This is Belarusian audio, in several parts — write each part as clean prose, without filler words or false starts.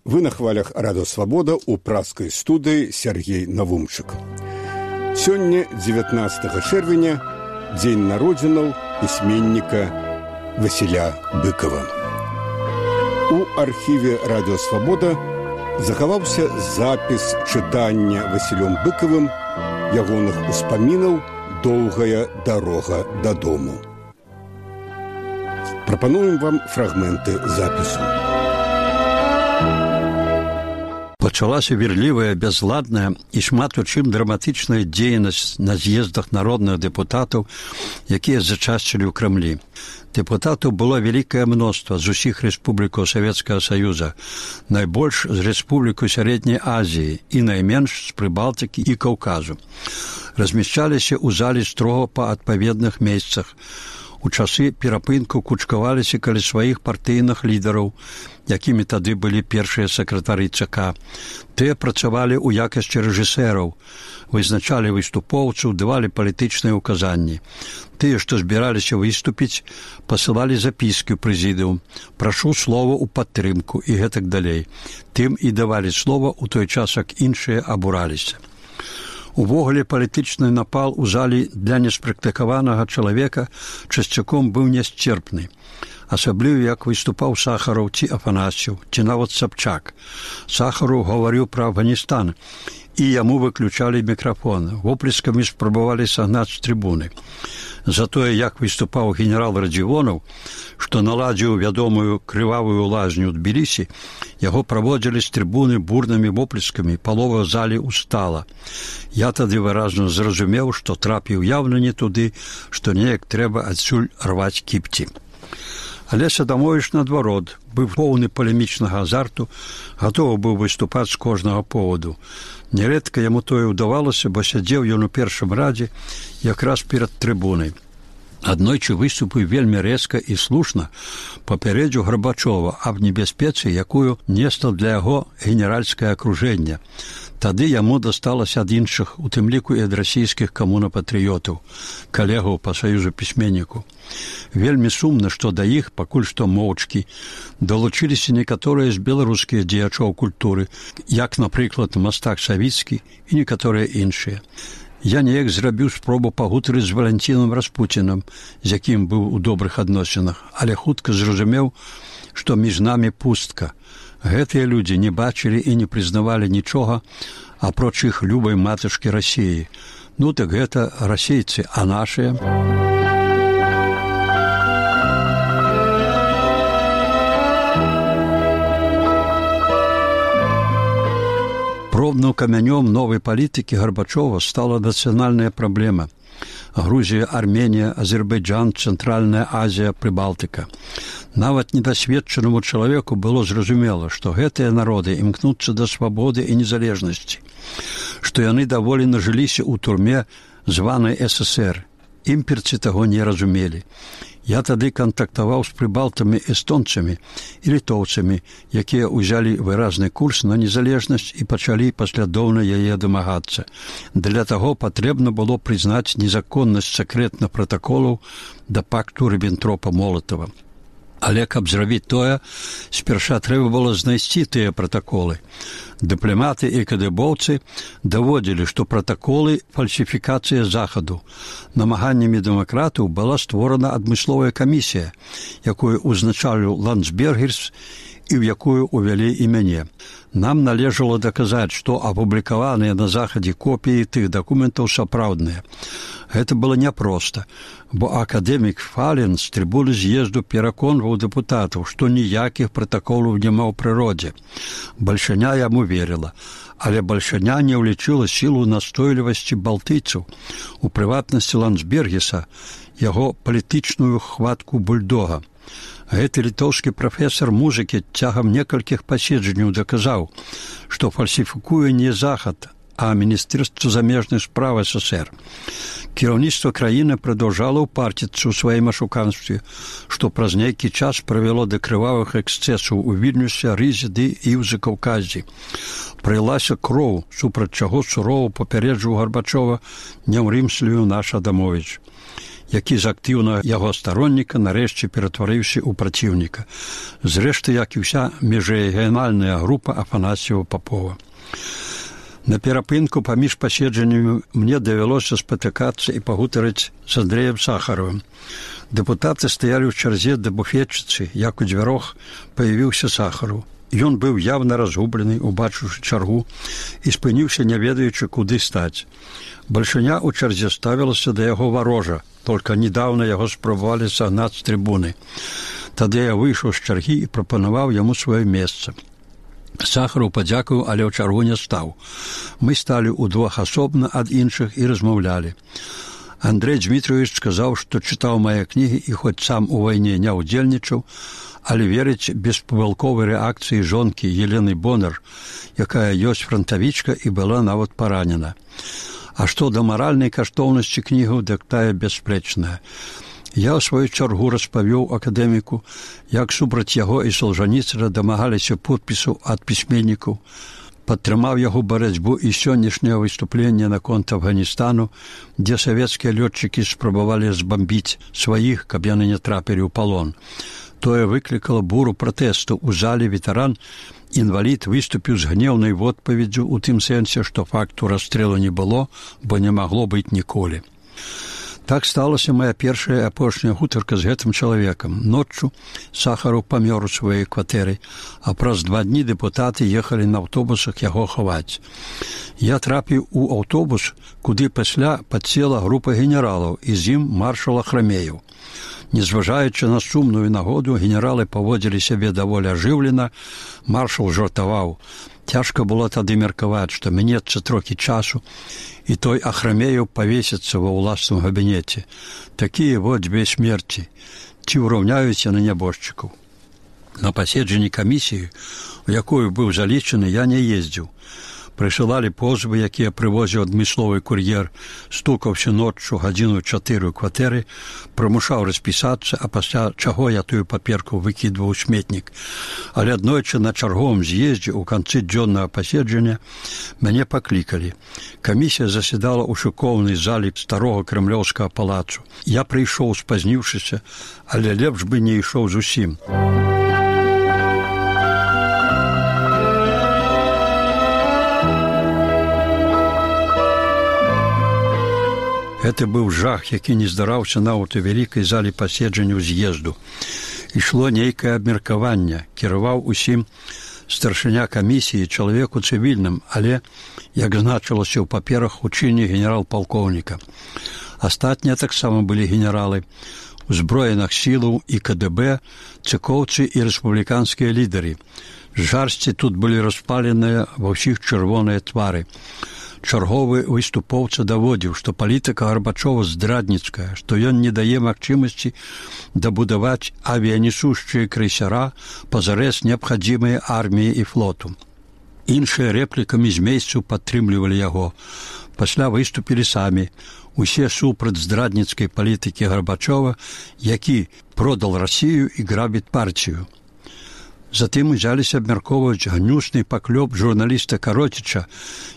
Вы на хвалях Радио Свобода у пражской студии Сергей Навумчик. Сегодня, 19 чэрвеня, день народзінаў письменника Василя Быкова. У архиве Радио Свобода захаваўся запіс чытання Василем Быковым ягоных успамінаў «Доўгая дарога дадому». Прапануем вам фрагменты запісу. Пачалася верлівая, бязладная і шмат у чым драматычная дзейнасць на з'ездах народных дэпутатаў, якія зачасцілі ў Крамлі. Дэпутатаў было вялікае мноства з усіх рэспублікаў Савецкага Саюза, найбольш з рэспублікаў Сярэдняй Азіі і найменш з Прыбалтыкі і Каўказу. Размяшчаліся ў залі строга па адпаведных месцах. У часы перапынку кучкаваліся каля сваіх партыйных лідараў, якімі тады былі першыя сакратары ЦК. Тыя працавалі ў якасці рэжысэраў, вызначалі выступоўцаў, давалі палітычныя ўказанні. Тыя, што збіраліся выступіць, пасылалі запіскі ў прэзідыум, прашу слова ў падтрымку і гэтак далей. Тым і давалі слова ў той час, як іншыя абураліся. Увогуле палітычны напал у залі для неспрактыкаванага чалавека часцяком быў нясцерпны. Асабліва, як выступаў Сахараў ці Афанасьеў, ці нават Сабчак. Сахараў гаварыў пра Афганістан, і яму выключалі мікрафон. Воплескамі спрабавалі сагнаць з трыбуны. Затое, як выступаў генерал Радзівонаў, што наладзіў вядомую крывавую лазню ў Тбілісі, яго праводзілі з трыбуны бурнымі воплескамі, палова залі устала. Я тады выразна зразумеў, што трапіў яўна не туды, што неяк трэба адсюль рваць кіпці. Але Садамовіч, наадварот, быў поўны палемічнага азарту, гатовы быў выступаць з кожнага поводу. Нярэдка яму тое ўдавалася, бо сядзеў ён у першым радзе якраз перад трыбунай. Аднойчы выступіў вельмі рэзка і слушна, папярэдзіў Гарбачова аб небяспецы, якую несла для яго генеральскае акружэнне. Тады яму дасталася ад іншых, у тым ліку і ад расійскіх камунапатрыётаў, калегаў па саюзу пісьменніку. Вельмі сумна, што да іх, пакуль што моўчкі, далучыліся некаторыя з беларускіх дзеячоў культуры, як, напрыклад, мастак Савіцкі і некаторыя іншыя. Я неяк зрабіў спробу пагутарыць з Валянцінам Распуцінам, з якім быў у добрых адносінах, але хутка зразумеў, што між намі пустка. Гэтыя людзі не бачылі і не прызнавалі нічога, апроч іх любай матачкі Расіі. Ну так гэта расейцы, а нашыя? Пробным камянём новай палітыкі Гарбачова стала нацыянальная праблема. Грузія, Арменія, Азербайджан, Цэнтральная Азія, Прыбалтыка. Нават недасведчанаму чалавеку было зразумела, што гэтыя народы імкнуцца да свабоды і незалежнасці, што яны даволі нажыліся ў турме званай ССР. Імперцы таго не разумелі. Я тады кантактаваў з прыбалтамі эстонцамі і літоўцамі, якія ўзялі выразны курс на незалежнасць і пачалі паслядоўна яе дамагацца. Для таго патрэбна было прызнаць незаконнасць сакрэтных пратаколаў да пакту Ріббентропа-Молатава. Але, каб зрабіць тое, спярша трэба было знайсці тыя пратаколы. Дыпламаты і кадыбоўцы даводзілі, што пратаколы – фальсіфікацыя захаду. Намаганнямі дэмакратаў была створана адмысловая камісія, якую ўзначаліў Ландсбергерс і ў якую ўвялі і мяне. Нам належала даказаць, што апублікаваныя на захадзе копіі тых дакументаў сапраўдныя. Гэта было няпроста, бо акадэмік Фален з трыбуны з'езду пераконваў дэпутатаў, што ніякіх пратаколаў няма ў прыродзе. Бальшаня яму верила, але бальшаня не ўлічыла сілу настойлівасці балтыйцаў, у прыватнасці Ландсбергеса, яго палітычную хватку бульдога. Гэты літоўскі прафесар музыкі цягам некалькіх паседжанняў даказаў, што фальсіфікуе не захад, а Міністэрства замежных спраў СССР. Кіраўніцтва краіны прадаўжала ўпарціцца ў сваім ашуканстве, што праз нейкі час прывяло да крывавых эксцэсаў у Вільнюсе, Рызе ды і ў Закаўказі. Прылася кроў, супраць чаго сурова папярэджваў Гарбачова «Не ўрымслюю наш Адамовіч». які з актыўнага яго старонніка нарэшце ператварыўся ў праціўніка. Зрэшты, як і ўся міжрэгіянальная група Афанасьева-Папова. На перапынку паміж паседжаннямі мне давялося спатыкацца і пагутарыць з Андрэем Сахаровым. Дэпутаты стаялі ў чарзе да буфетчыцы, як у дзвярох паявіўся Сахаров. Ён быў явна разгублены, убачыўшы чаргу, і спыніўся, не ведаючы, куды стаць. Бальшыня ў чарзе ставілася да яго варожа, толькі недаўна яго спрабавалі сагнаць з трыбуны. Тады я выйшаў з чаргі і прапанаваў яму сваё месца. Сахаров падзякаваў, але ў чаргу не стаў. Мы сталі ўдвох асобна ад іншых і размаўлялі. Андрэй Дмітровіч сказаў, што чытаў мае кнігі і хоць сам у вайне не ўдзельнічаў, але верыць беспамылковай рэакцыі жонкі Елены Бонар, якая ёсць франтавічка і была нават паранена. А што да маральнай каштоўнасці кнігаў, дык тая бясспрэчная. Я ў сваю чаргу распавёў акадэміку, як супраць яго і Солжаніцына дамагаліся подпісаў ад пісьменнікаў, падтрымаў яго барацьбу і сённяшняе выступленне наконт Афганістану, дзе савецкія лётчыкі спрабавалі збамбіць сваіх, каб яны не трапілі ў палон. Тое выклікала буру пратэсту. У зале ветэран, інвалід, выступіў з гнеўнай водпаведдзю ў тым сэнсе, што факту расстрэлу не было, бо не магло быць ніколі. Так сталася моя першая і апошняя гутарка з гэтым чалавекам. Ноччу Сахаров памёр у сваёй кватэры, а праз 2 дні дэпутаты ехалі на аўтобусах яго хаваць. Я трапіў у аўтобус, куды пасля падсела група генералаў, і з ім маршал Ахрамеев. Незважаючы на сумную нагоду, генералы паводзілі сябе даволі ажыўлена, маршал жартаваў. Цяжка было тады меркаваць, што мінецца трохі часу, і той Ахрамеев павесіцца ва ўласным габінеце. Такія вот дзве смерці. Ці ўраўняюць яны нябожчыкаў? На паседжанні камісіі, у якую быў залічаны, я не ездзіў. Прысылалі позвы, якія прывозіў адмысловы кур'ер, стукаўся ноччу 1:04 ў кватэры, прымушаў распісацца, а пасля чаго я тую паперку выкідваў у сметнік. Але аднойчы на чарговым з'ездзе ў канцы дзённага паседжання мяне паклікалі. Камісія заседала ў шыкоўнай залі старога крэмлёўскага палацу. Я прыйшоў спазніўшыся, але лепш бы не ішоў зусім. Гэта быў жах, які не здараўся нават у вялікай зале паседжанняў з'езду. Ішло нейкае абмеркаванне, кіраваў усім старшыня камісіі, чалавеку цывільным, але, як значылася ў паперах, у чыне генерал-палкоўніка. Астатнія таксама былі генералы, узброеных сілаў і КДБ, цыкоўцы і рэспубліканскія лідары. Жарсці тут былі распаленыя ва ўсіх чырвоныя твары. Чарговы выступоўца даводзіў, што палітыка Гарбачова здрадніцкая, што ён не дае магчымасці дабудаваць авіянесушчыя крейсера пазарэз неабхадзімыя арміі і флоту. Іншыя рэплікамі з месцаў падтрымлівалі яго. Пасля выступілі самі. Усе супраць здрадніцкай палітыкі Гарбачова, які продал Расію і грабіць партію. Затым узяліся абмяркоўваць гнюсны паклёп журналіста Кароціча,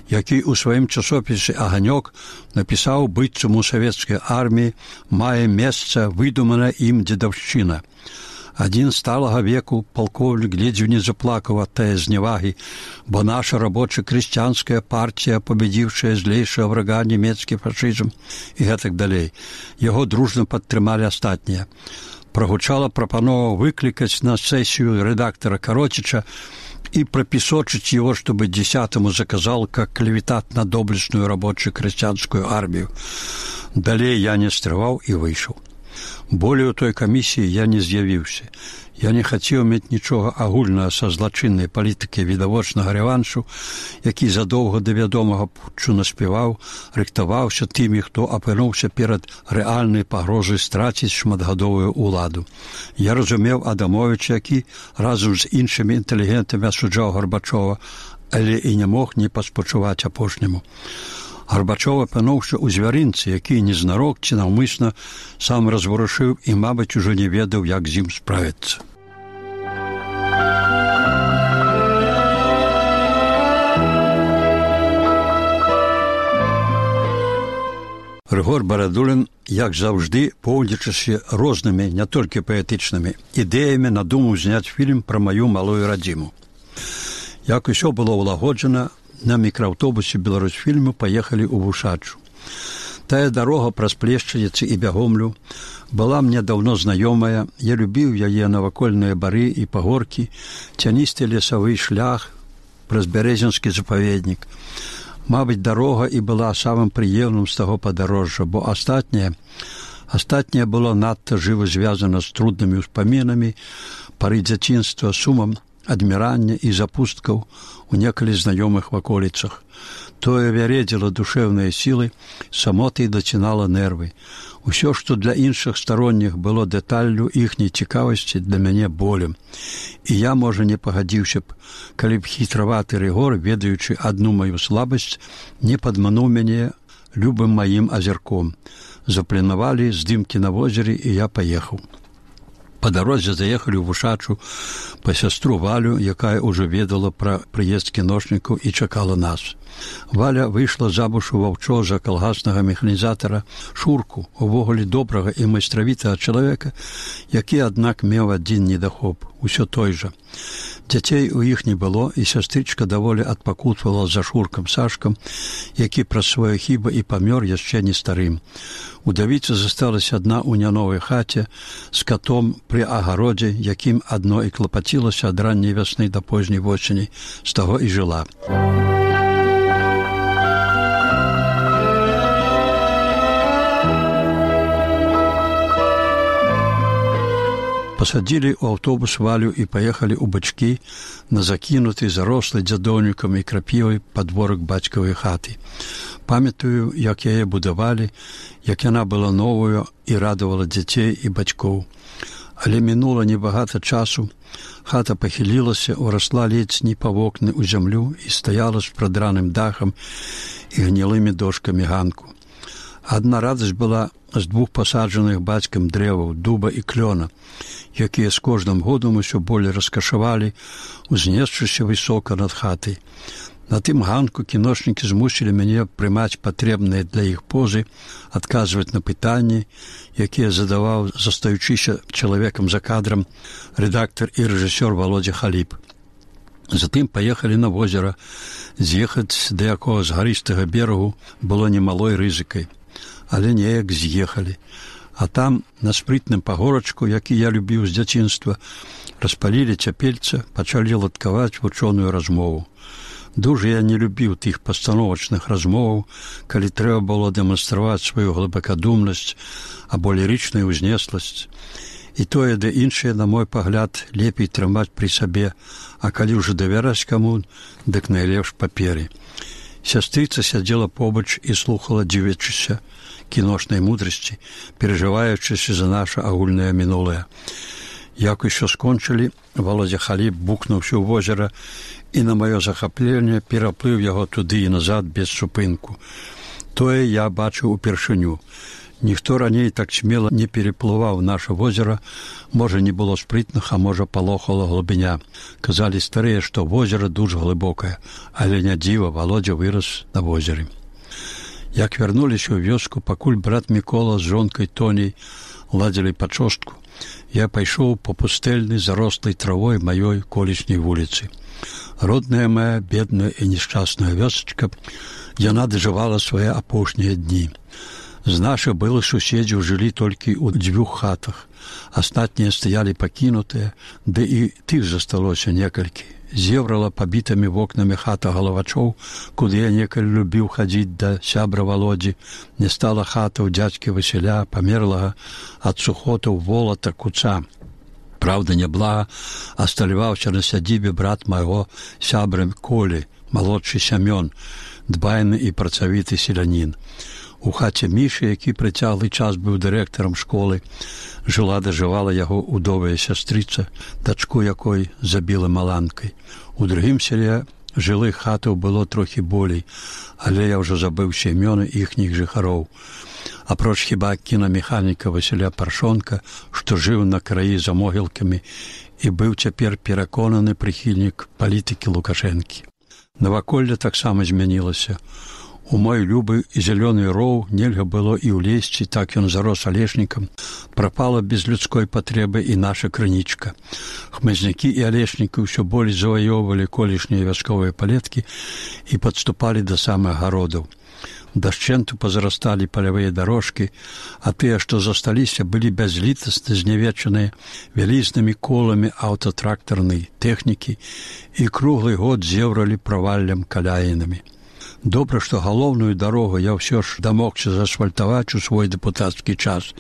які ў сваім часопісе «Аганёк» напісаў, быццам у савецкай арміі мае месца выдумана ім дзедаўшчына. Адзін сталага веку палкоўнік ледзьве не заплакаў ад тае зневагі, бо наша рабоча-крысціянская партія, пабедзіўшая злейшага врага нямецкі фашызм і гэтак далей. Яго дружна падтрымалі астатнія. Прогучала прапанова выклікаць на сессию редактора Коротича и пропесочить его, чтобы 10-му заказал как клеветат на доблестную рабочую крестьянскую армию. Далее я не стрываў и вышел. Более у той комиссии я не з'явіўся. Я не хацеў мець нічога агульнага са злачыннай палітыкай відавочнага рэваншу, які задоўга да вядомага путчу наспяваў, рыхтаваўся тымі, хто апынуўся перад рэальнай пагрозай страціць шматгадовую ўладу. Я разумеў Адамовіча, які разам з іншымі інтэлігентамі асуджаў Гарбачова, але і не мог не паспачуваць апошняму. Гарбачов апынуўся ў звярынцы, які незнарок ці наўмысна сам разварушыў і, мабыць, ужо не ведаў, як з ім справіцца. Рыгор Барадулін, як заўжды, поўдзячыся рознымі, не толькі паэтычнымі, ідэямі надумаў зняць фільм пра маю малую радзіму. Як усё было ўлагоджана, на мікрааўтобусе Беларусьфільму паехалі ў Вушачу. Тая дарога праз Плешчаніцы і Бягомлю была мне даўно знаёмая, я любіў яе навакольныя бары і пагоркі, цяністы лесавы шлях праз Бярэзінскі запаведнік. Мабыць, дарога і была самым прыемным з таго падарожжа, бо астатняе было надта жыва звязана з труднымі ўспамінамі, пары дзяцінства, сумам адмірання і запусткаў у некалі знаёмых ваколіцах. Тое вяредзіла душэўныя сілы, самоты дацінала нервы. Усё, што для іншых старонніх было дэталлю іхняй цікавасці, для мяне болем. І я, можа, не пагадзіўся б, калі б хітраваты Рыгор, ведаючы адну маю слабасць, не падмануў мяне любым маім азірком. Запланавалі здымкі на возеры, і я паехаў. Па дарозе заехалі ў Вушачу па сястру Валю, якая ўжо ведала пра прыезд кіношнікаў і чакала нас. Валя выйшла замуж у ваўчо за калгаснага механізатара Шурку, увогуле добрага і майстравітага чалавека, які, аднак, меў адзін недахоп, усё той жа. Дзяцей у іх не было, і сястрычка даволі адпакутвала за Шуркам Сашкам, які праз свае хібы і памёр яшчэ не старым. Удавіца засталася адна ў няновай хаце з катом пры агародзе, якім адно і клапацілася ад ранняй вясны да позняй восені, з таго і жыла. Пасадзілі ў аўтобус Валю і паехалі ў Бачкі на закінуты, зарослы дзядоўнікам і крапівай падворак бацькавай хаты. Памятаю, як яе будавалі, як яна была новую і радавала дзяцей і бацькоў. Але мінула небагата часу, хата пахілілася, урасла ледзь не па вокны ў зямлю і стаяла з прадраным дахам і гнілымі дошкамі ганку. Адна радасць была з двух пасаджаных бацькам дрэваў, дуба і клёна, якія з кожным годам усё болей раскашавалі, узнесшыся высока над хатай. На тым ганку кіношнікі змусілі мяне прымаць патрэбныя для іх позы, адказваць на пытанні, якія задаваў, застаючыся чалавекам за кадрам, рэдактар і рэжысёр Володя Халіп. Затым паехалі на возера, з'ехаць да якога з гарыстага берагу было немалой рызыкай. Але неяк з'ехалі. А там, на спрытным пагорачку, які я любіў з дзяцінства, распалілі цяпельца, пачалі ладкаваць вучоную размову. Дужа я не любіў тых пастановачных размоваў, калі трэба было дэманстраваць сваю глыбакадумнасць або лірычную ўзнесласць. І тое, да іншае, на мой пагляд, лепей трымаць пры сабе, а калі ўжо давяраць каму, дык найлепш паперы. Сястрыца сядзела побач і слухала, дзівячыся кіношнай мудрасці, перажываючыся за наша агульнае мінулае. Як усё скончылі, Володя Халіп букнуўся ў возера і на маё захапленне пераплыў яго туды і назад без супынку. Тое я бачыў упершыню. Ніхто раней так смела не переплываў наша возера, можа, не было спрытных, а можа, палохала глыбіня. Казалі старыя, што возера дужа глыбокае, але не дзіва, Володя вырас на возеры. Як вярнуліся ў вёску, пакуль брат Мікола з жонкай Тоняй ладзілі пачостку, я пайшоў па пустэльнай зарослай травой маёй колішняй вуліцы. Родная мая, бедная і нешчасная вёсачка, яна дажывала свае апошнія дні. З нашых былых суседзяў жылі толькі ў 2 хатах. Астатнія стаялі пакінутыя, ды і тых засталося некалькі. Зеврала пабітымі вокнамі хата галавачоў, куды я некалі любіў хадзіць да сябра Володзі. Не стала хата ў дзядзькі Васіля, памерлага ад сухотаў волата куца. Праўда, няблага асталяваўся на сядзібе брат майго сябра Колі, малодшы Сямён, дбайны і працавіты селянін. У хаце Мішы, які прыцяглы час быў дырэктарам школы, жыла-дажывала яго удовая сястрыца, дачку якой забіла маланкай. У другім селе жылых хатаў было трохі болей, але я ўжо забыўся імёны іхніх жыхароў. Апроч хіба кінамеханіка Васіля Паршонка, што жыў на краі за могілкамі і быў цяпер пераконаны прыхільнік палітыкі Лукашэнкі. Наваколле таксама змянілася. У мой любы зялёны роў нельга было і ўлезці, так ён зарос алешнікам. Прапала без людской патрэбы і наша крынічка. Хмызнякі і алешнікі ўсё болей заваёўвалі колішнія вясковыя палеткі і падступалі да самых гародаў. Дашчэнту пазарасталі палявыя дарожкі, а тыя, што засталіся, былі бязлітасна знявечаныя вялізнымі коламі аўтатрактарнай тэхнікі і круглы год зеўралі праваллям каляінамі. Добра, што галоўную дарогу я ўсё ж дамогся заасфальтаваць у свой дэпутацкі час.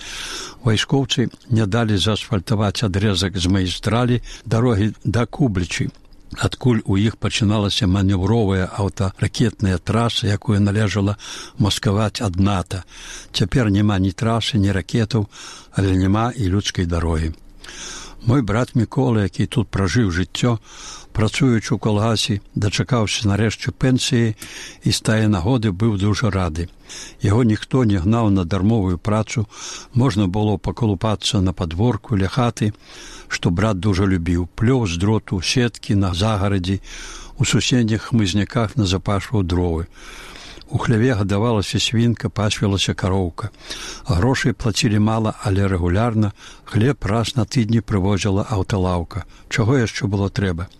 Вайскоўцы не далі заасфальтаваць адрэзак з магістралі дарогі да Кублічы, адкуль у іх пачыналася манеўровая аўтаракетная траса, якую належала маскаваць ад НАТО. Цяпер няма ні трасы, ні ракетаў, але няма і людскай дарогі. Мой брат Мікола, які тут пражыў жыццё, працуючы ў калгасе, дачакаўся нарэшце пенсіі і з тае нагоды быў дужа рады. Яго ніхто не гнаў на дармовую працу, можна было паколупацца на падворку ля хаты, што брат дужа любіў, плёў з дроту, сеткі на загарадзі, у суседніх хмызняках назапашваў дровы. У хляве гадавалася свінка, пасвілася кароўка. Грошай плацілі мала, але рэгулярна. Хлеб раз на тыдні прывозіла аўталаўка. Чаго яшчэ было трэба?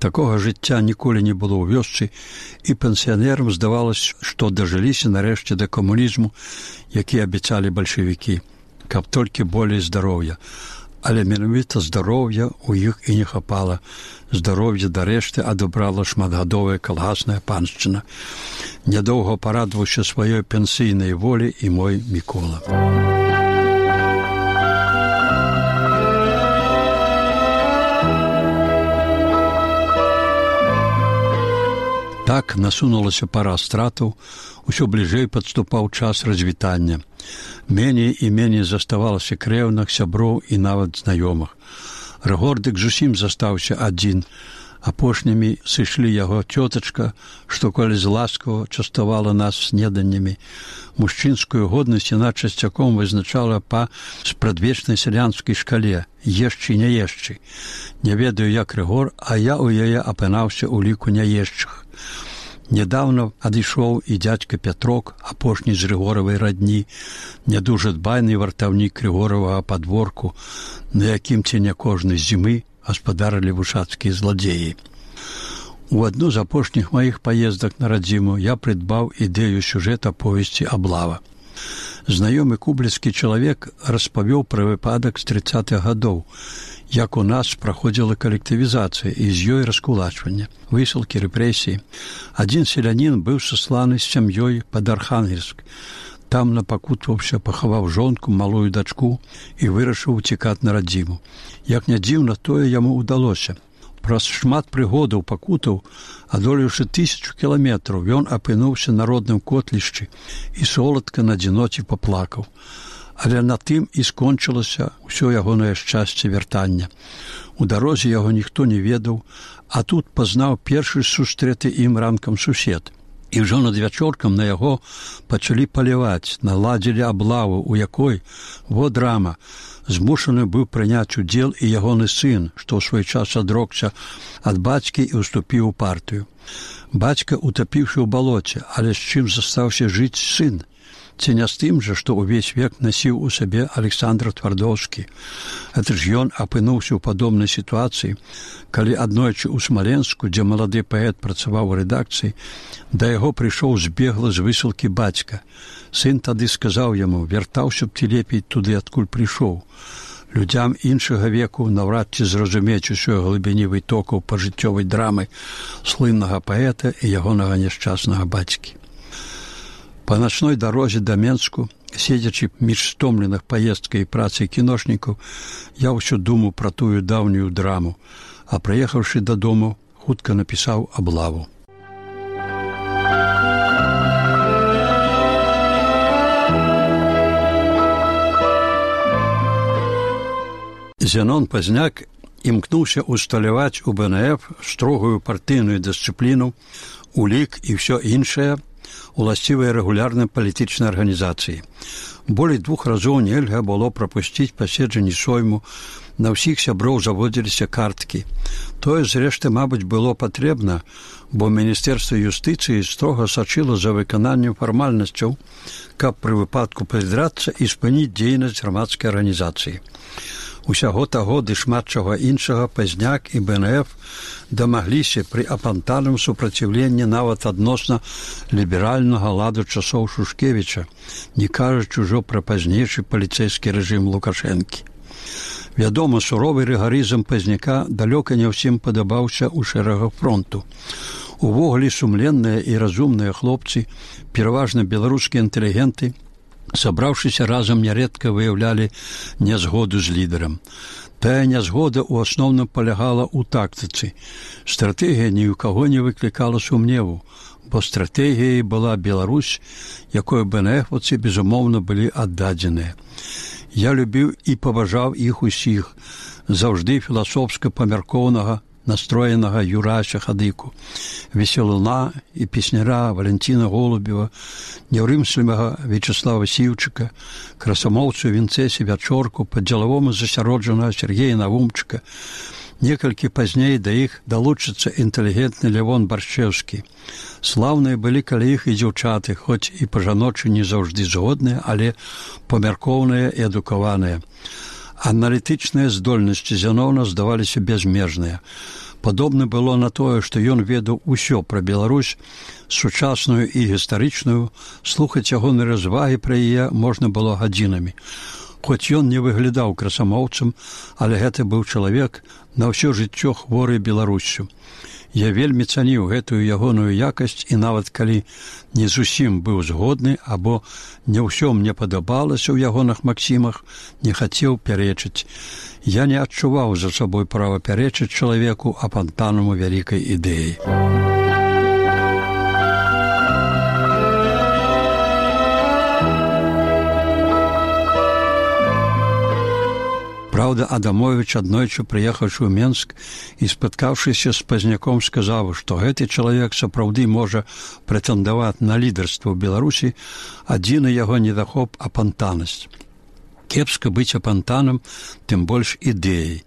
Такога жыцця ніколі не было ў вёсцы, і пенсіянерам здавалася, што дажыліся нарэшце да камунізму, які абяцалі бальшавікі, каб толькі болей здароўя. Але менавіта здароўя ў іх і не хапала. Здароўе дарэшты адабрала шматгадовая калгасная паншчына. Нядоўга парадаваўся сваёй пенсійнай волі і мой Мікола. Так насунулася пара стратаў, усё бліжэй падступаў час развітання. Меней і меней заставалася крэўных, сяброў і нават знаёмых. Рыгордык зусім застаўся адзін. Апошнімі сышлі яго цётачка, што коли зласкава частавала нас снеданнямі. Мужчынскую годнасць яна часцяком вызначала па спрадвечнай сялянскай шкале «ешчы, не ешчы». Не ведаю, як Рыгор, а я ў яе апынаўся ў ліку няешчых. Нядаўна адышоў і дзядзька Пятрок, апошні з Рыгоравай радні, нядужа дбайны вартаўнік Рыгоравага падворку, на якім ці не кожнай зімы гаспадарылі вушацкія зладзеі. У адну з апошніх маіх паездак на радзіму я прыдбаў ідэю сюжэта повесці «Аблава». Знаёмы кубліцкі чалавек распавёў пра выпадак з 30-х гадоў, як у нас праходзіла калектывізацыя і з ёй раскулачванне, высылкі, рэпрэсіі. Адзін селянін быў сасланы з сям'ёй пад Архангельск. Там напакутваўся, пахаваў жонку, малую дачку і вырашыў уцікаць на радзіму. Як не дзіўна, тое яму ўдалося. Праз шмат прыгодаў пакутаў, адолеўшы 1000 кіламетраў, ён апынуўся на родным котлішчы і соладка на адзіноце паплакаў. Але на тым і скончылася ўсё ягонае шчасце вяртання. У дарозе яго ніхто не ведаў, а тут пазнаў першы сустрэты ім ранкам сусед. І ўжо над вячоркам на яго пачалі паляваць, наладзілі аблаву, у якой, во драма, змушаны быў прыняць удзел і ягоны сын, што ў свой час адрокся ад бацькі і ўступіў у партыю. Бацька утапіўшы ў балоце, але з чым застаўся жыць сын? Ці не з тым жа, што ўвесь век насіў у сабе Александр Твардоўскі. Гэта ж ён апынуўся ў падобнай сітуацыі, калі аднойчы ў Смаленску, дзе малады паэт працаваў у рэдакцыі, да яго прыйшоў збегла з высылкі бацька. Сын тады сказаў яму: «Вяртаўся б ты лепей туды, адкуль прыйшоў». Людзям іншага веку наўрад ці зразумець усёй глыбіні вытокаў пажыццёвай драмы слыннага паэта і ягонага няшчаснага бацькі. Па начной дарозе да Менску, седзячы між стомленых паездкай і працай кіношнікаў, я ўсё думаў пра тую даўнюю драму, а прыехаўшы дадому, хутка напісаў «Аблаву». Зенон Пазняк імкнуўся усталяваць у БНФ строгую партыйную дысцыпліну, улік і ўсё іншае, уласцівыя рэгулярнай палітычнай арганізацыі. Болей 2 разоў нельга было прапусціць паседжанні сойму, На ўсіх сяброў заводзіліся карткі. Тое, зрэшты, мабыць, было патрэбна, бо Міністэрства юстыцыі строга сачыла за выкананнем фармальнасцяў, каб пры выпадку прыдрацца і спыніць дзейнасць грамадскай арганізацыі. Усяго таго ды шмат чаго іншага Пазняк і БНФ дамагліся пры апантаным супраціўленні нават адносна ліберальнага ладу часоў Шушкевіча, не кажучы ўжо пра пазнейшы паліцэйскі рэжым Лукашэнкі. Вядома, суровы рыгарызм Пазняка далёка не ўсім падабаўся ў шэрагах фронту. Увогуле сумленныя і разумныя хлопцы, пераважна беларускія інтэлігенты, сабраўшыся разам, нярэдка выяўлялі нязгоду з лідарам. Тая нязгода ў асноўным палягала ў тактыцы. Стратэгія ні ў каго не выклікала сумневу, бо стратэгіяй была Беларусь, якой БНФаўцы, безумоўна, былі аддадзеныя. Я любіў і паважаў іх усіх, заўжды філасофска памяркоўнага, настроенага Юрася Хадыку, весялуна і песняра Валентина Голубева, няўрымслівага Вячеслава Сіўчыка, красамоўцу Вінцэсі Вячорку, па-дзелавому засяроджанага Сергея Навумчыка. Некалькі пазней да іх далучыцца інтэлігентны Лявон Баршчэўскі. Слаўныя былі каля іх і дзяўчаты, хоць і па-жаночы не заўжды згодныя, але памяркоўныя і адукаваныя. Аналітычныя здольнасці Зяноўна здаваліся бязмежныя. Падобна было на тое, што ён ведаў усё пра Беларусь, сучасную і гістарычную, слухаць ягоныя развагі пра яе можна было гадзінамі. Хоць ён не выглядаў красамоўцам, але гэта быў чалавек на ўсё жыццё хворы Беларуссю. Я вельмі цаніў гэтую ягоную якасць і нават калі не зусім быў згодны або не ўсё мне падабалася ў ягоных максімах, не хацеў пярэчыць. Я не адчуваў за сабой права пярэчыць чалавеку, апантанаму вялікай ідэі. Праўда, Адамовіч, аднойчы прыехаўшы ў Менск і спаткаўшыся з Пазняком, сказаў, што гэты чалавек сапраўды можа прэтэндаваць на лідарства ў Беларусі, адзіны яго недахоп апантанасць. Кепска быць апантанам, тым больш ідэяй.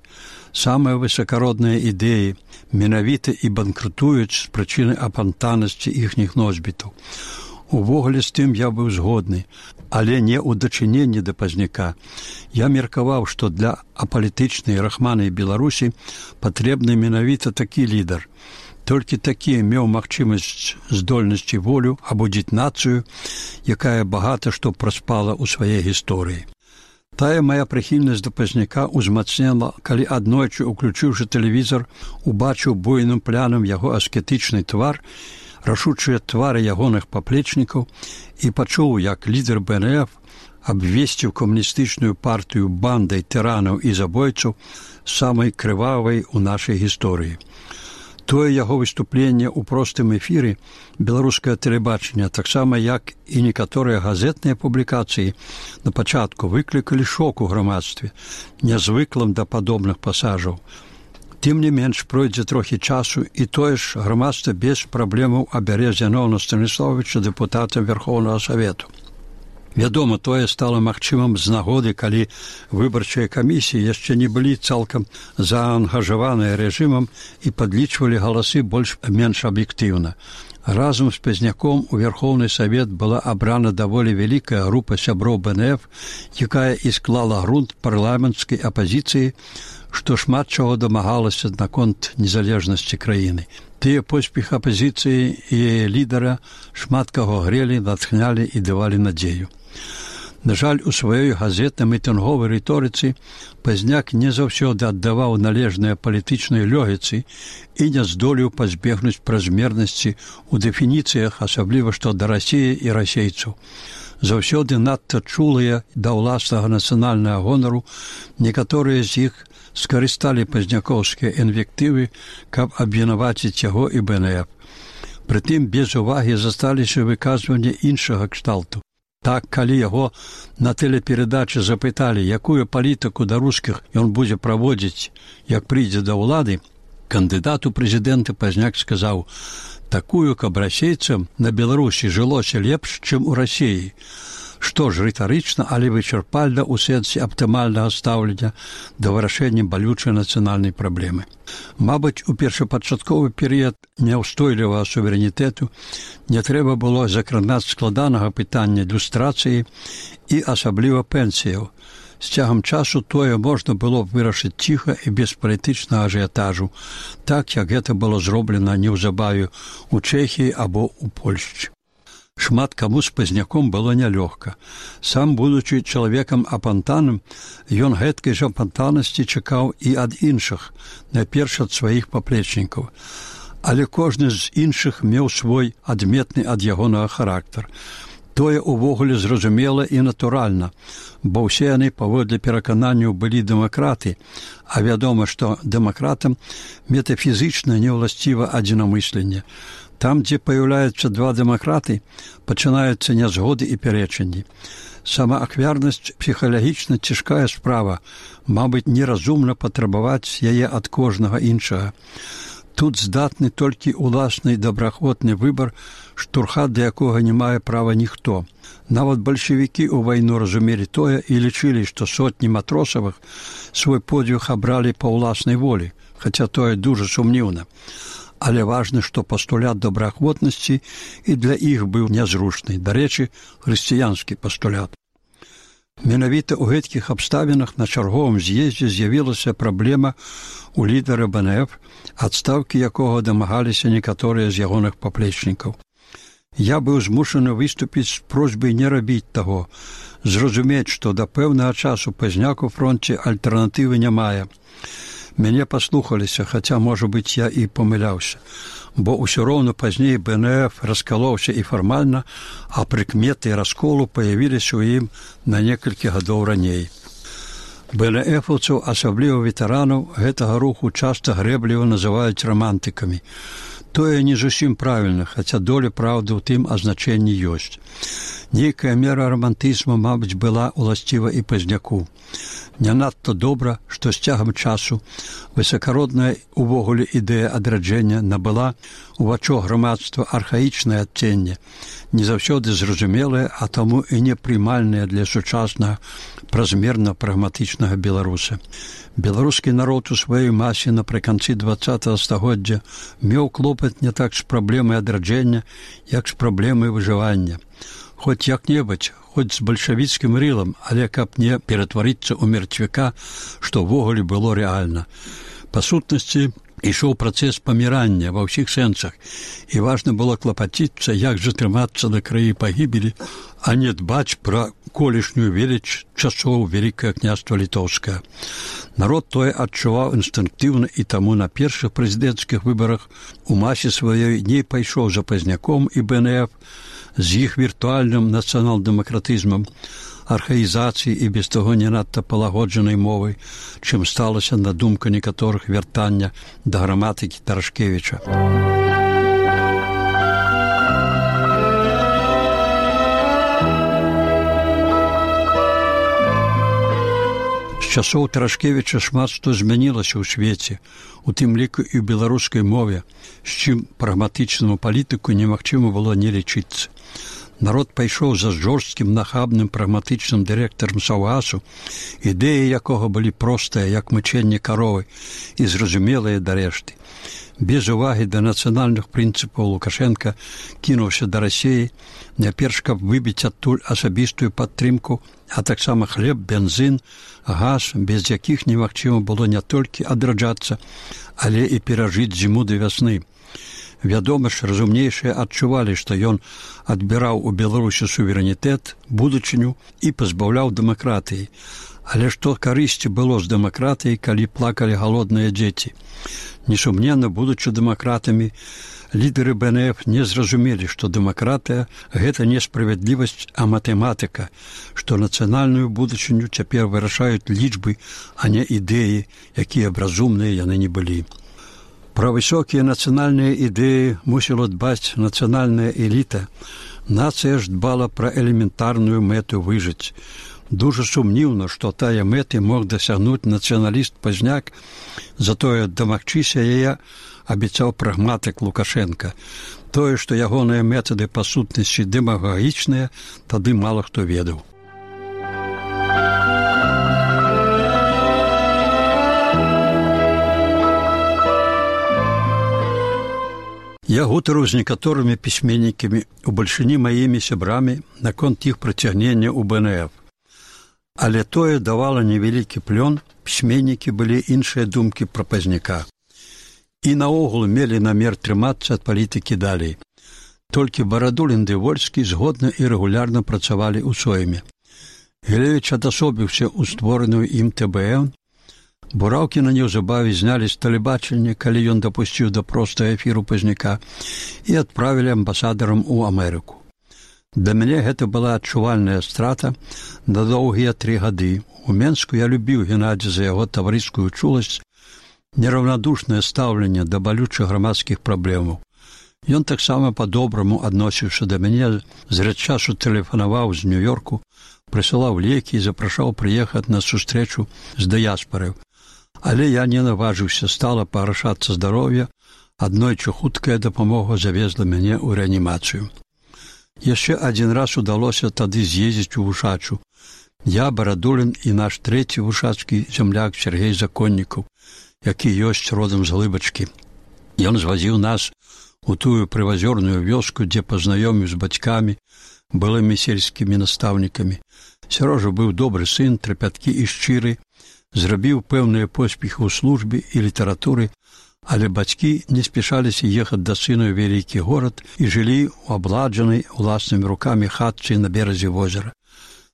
Самыя высакародныя ідэі менавіта і банкрутуюць з прычыны апантанасці іхніх носьбітаў. Увогуле з тым я быў згодны, але не ў дачыненні да Пазняка. Я меркаваў, што для апалітычнай рахманай Беларусі патрэбны менавіта такі лідар. Толькі такі меў магчымасць, здольнасць і волю абудзіць нацыю, якая багата што праспала ў сваёй гісторыі. Тая мая прыхільнасць да Пазняка ўзмацнела, калі аднойчы, уключыўшы тэлевізор, убачыў буйным плянам яго аскетычны твар, рашучыя твары ягоных паплечнікаў і пачуў, як лідар БНФ абвесціў камуністычную партыю бандай тыранаў і забойцаў самай крывавай у нашай гісторыі. Тое яго выступленне ў простым эфіры беларускае тэлебачання, таксама як і некаторыя газетныя публікацыі, на пачатку выклікалі шок у грамадстве, нязвыклым да падобных пасажаў. Тым не менш, пройдзе трохі часу, і тое ж грамадства без праблемаў абярэ Зяноўна Станіславовича дэпутатам Верхоўнага Савету. Вядома, тое стала магчымым з нагоды, калі выбарчыя камісіі яшчэ не былі цалкам заангажаваныя рэжымам і падлічвалі галасы больш-менш аб'ектыўна. Разам з Пазняком у Верхоўны Савет была абрана даволі вялікая група сяброў БНФ, якая і склала грунт парламенцкай апазіцыі, што шмат чаго дамагалася наконт незалежнасці краіны. Тыя поспех апазіцыі і яе лідара шмат каго грелі, натхнялі і давалі надзею. На жаль, у сваёй газетна-мітынговай рыторыцы Пазняк не заўсёды аддаваў належныя палітычнай лёгіцы і не здолеў пазбегнуць празмернасці ў дэфініцыях, асабліва што да Расіі і расейцаў. Заўсёды надта чулыя да ўласнага нацыянальнага гонару, некаторыя з іх скарысталі пазнякоўскія інвектывы, каб абвінаваціць яго і БНФ. Прытым без увагі засталіся выказванні іншага кшталту. Так, калі яго на тэлеперадачы запыталі, якую палітыку да рускіх ён будзе праводзіць, як прыйдзе да ўлады, кандыдат у прэзідэнты Пазняк сказаў: такую, каб расейцам на Беларусі жылося лепш, чым у Расіі. што ж рытарычна, але вычарпальна ў сэнсе аптымальнага стаўлення да вырашэння балючай нацыянальнай праблемы. Мабыць, у першапачатковы перыяд няўстойлівага суверэнітэту не трэба было закранаць складанага пытання люстрацыі і асабліва пенсіяў. З цягам часу тое можна было б вырашыць ціха і без палітычнага ажыятажу, так, як гэта было зроблена неўзабаве ў Чэхіі або ў Польшчы. Шмат каму з пазняком было нялёгка. Сам, будучы чалавекам апантаным, ён гэткай жа апантанасці чакаў і ад іншых, найперш ад сваіх паплечнікаў. Але кожны з іншых меў свой адметны ад ягонага характар. Тое ўвогуле зразумела і натуральна, бо ўсе яны паводле перакананняў былі дэмакраты, а вядома, што дэмакратам метафізічна неўласціва адзінамысленне. Там, дзе паяўляюцца два дэмакраты, пачынаюцца нязгоды і пярэчанні. Самаахвярнасць псіхалагічна цяжкая справа, мабыць, неразумна патрабаваць яе ад кожнага іншага. Тут здатны толькі ўласны добраахвотны выбар, штурхат да якога не мае права ніхто. Нават бальшавікі ў вайну разумелі тое і лічылі, што сотні матросавых свой подвиг абралі па ўласнай волі, хаця тое дужа сумніўна. Але важна, што пастулят добраахвотнасці і для іх быў нязручны, дарэчы, хрысціянскі пастулят. Менавіта ў гэткіх абставінах на чарговым з'ездзе з'явілася праблема у лідара БНФ, адстаўкі якога дамагаліся некаторыя з ягоных паплечнікаў. Я быў змушаны выступіць з просьбай не рабіць таго, зразумець, што да пэўнага часу Пазняк у фронце альтэрнатывы не мае. Мяне паслухаліся, хаця, можа быць, я і памыляўся, бо ўсё роўна пазней БНФ раскалоўся і фармальна, а прыкметы расколу паявіліся ў ім на некалькі гадоў раней. БНФаўцаў, асабліва ветэранаў, гэтага руху часта грэбліва называюць рамантыкамі. Тое не зусім правільна, хаця доля праўды ў тым азначэнні ёсць. Нейкая мера рамантызму, мабыць, была ўласціва і Пазняку. Не надта добра, што з цягам часу высакародная увогуле ідэя адраджэння набыла у вачах грамадства архаічнае адценне, не заўсёды зразумелае, а таму і непрымальнае для сучаснага празмерна прагматычнага беларуса. Беларускі народ у сваёй масе напрыканцы 20-го стагоддзя меў клопат не так з праблемай адраджэння, як з праблемай выжывання. Хоць як-небудзь, хоць з бальшавіцкім рылам, але каб не ператварыцца ў мертвяка, што ўвогуле было рэальна. Па сутнасці, ішоў працэс памірання ва ўсіх сэнсах, і важна было клапаціцца, як жа трымацца на краі пагібелі, а не дбаць пра колішнюю веліч часоў Вялікае княства Літоўскае. Народ тое адчуваў інстынктыўна, і таму на першых прэзідэнцкіх выбарах у масе сваёй не пайшоў за Пазняком і БНФ, з іх віртуальным нацыянал-дэмакратызмам, архаізацыі і без таго не надта палагоджанай мовай, чым сталася на думку некаторых вяртання да граматыкі Тарашкевіча. З часоў Тарашкевіча шмат што змянілася ў свеце, у тым ліку і ў беларускай мове, з чым прагматычнаму палітыку немагчыма было не лічыцца. Народ пайшоў за жорсткім, нахабным, прагматычным дырэктарам Саўгасу, ідэі якога былі простыя, як мычэнне каровы, і зразумелыя да рэшты. Без увагі да нацыянальных прынцыпаў Лукашенка кінуўся да Расіі, няперш каб выбіць адтуль асабістую падтрымку, а таксама хлеб, бензін, газ, без якіх немагчыма было не толькі адраджацца, але і перажыць зіму да вясны. Вядома ж, разумнейшыя адчувалі, што ён адбіраў у Беларусі суверэнітэт, будучыню і пазбаўляў дэмакратыі. Але што карысці было з дэмакратыяй, калі плакалі галодныя дзеці? Несумненна, будучы дэмакратамі, лідары БНФ не зразумелі, што дэмакратыя – гэта не справядлівасць, а матэматыка, што нацыянальную будучыню цяпер вырашаюць лічбы, а не ідэі, якія б разумныя яны не былі. Пра высокія нацыянальныя ідэі мусіла дбаць нацыянальная эліта. Нацыя ж дбала пра элементарную мэту выжыць. Дужа сумнівна, што тая мэты мог дасягнуць нацыяналіст-пазняк, затое дамагчыся яе абяцаў прагматык Лукашенка. Тое, што ягоныя метады па сутнасці дэмагагічныя, тады мала хто ведаў. Я гутарыў з некаторымі пісьменнікамі, у бальшыні маімі сябрамі, наконт іх прыцягнення ў БНФ. Але тое давала невялікі плён, пісьменнікі былі іншыя думкі пра пазняка. І наогул мелі намер трымацца ад палітыкі далей. Толькі Барадулін ды Вольскі згодна і рэгулярна працавалі ў сойме. Гілевіч адасобіўся ў створаную ім ТБН. Бураўкіна неўзабаве знялі з тэлебачання, калі ён дапусціў да простага эфіру пазняка, і адправілі амбасадарам у Амерыку. Для мяне гэта была адчувальная страта на доўгія 3 гады. У Менску я любіў Геннадзя за яго таварыскую чуласць, нераўнадушнае стаўленне да балючых грамадскіх праблемаў. Ён таксама па-добраму адносіўся да мяне, зрэд часу тэлефанаваў з Нью-Йорку, прысылаў лекі і запрашаў прыехаць на сустрэчу з дыяспарай. Але я не наважыўся, стала пагаршацца здароўе, аднойчы хуткая дапамога завезла мяне ў рэанімацыю. Яшчэ адзін раз удалося тады з'ездзіць у Вушачу. Я, Барадулін і наш трэці вушацкі зямляк Сергей Законнікаў, які ёсць родам з Глыбачкі. Ён звазіў нас у тую прывазёрную вёску, дзе пазнаёміў з бацькамі, былымі сельскімі настаўнікамі. Сярожа быў добры сын, трапяткі і шчыры, зрабіў пэўныя поспехі ў службе і літаратуры, але бацькі не спяшаліся ехаць да сына ў вялікі горад і жылі ў абладжанай уласнымі рукамі хатцы на беразе возера.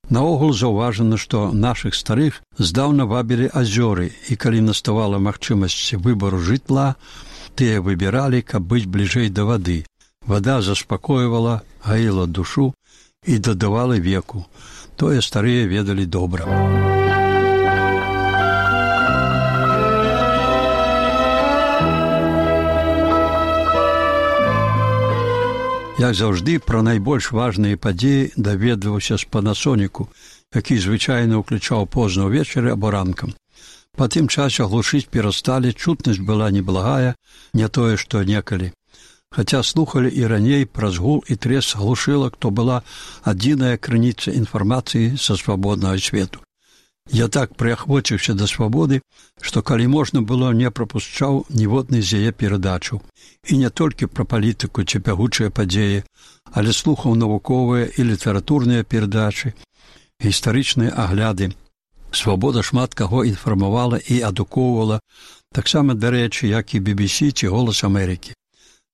Наогул заўважана, што нашых старых здаўна вабілі азёры, і калі наставала магчымасць выбару жытла, тыя выбіралі, каб быць бліжэй да вады. Вада заспакойвала, гаіла душу і дадавала веку. Тое старыя ведалі добра. Як заўжды, пра найбольш важныя падзеі даведваўся з Панасоніку, які звычайна ўключаў позна ўвечары або ранкам. Па тым часе глушыць перасталі, чутнасць была неблагая, не тое, што некалі. Хаця слухалі і раней праз гул і треск глушылак, то была адзіная крыніца інфармацыі са свабоднага свету. Я так прыахвоціўся да свабоды, што калі можна было, не прапушчаў ніводнай з яе перадачаў. І не толькі пра палітыку ці бягучыя падзеі, але слухаў навуковыя і літаратурныя перадачы, гістарычныя агляды. Свабода шмат каго інфармавала і адукоўвала, таксама, дарэчы, як і BBC ці «Голас Амерыкі».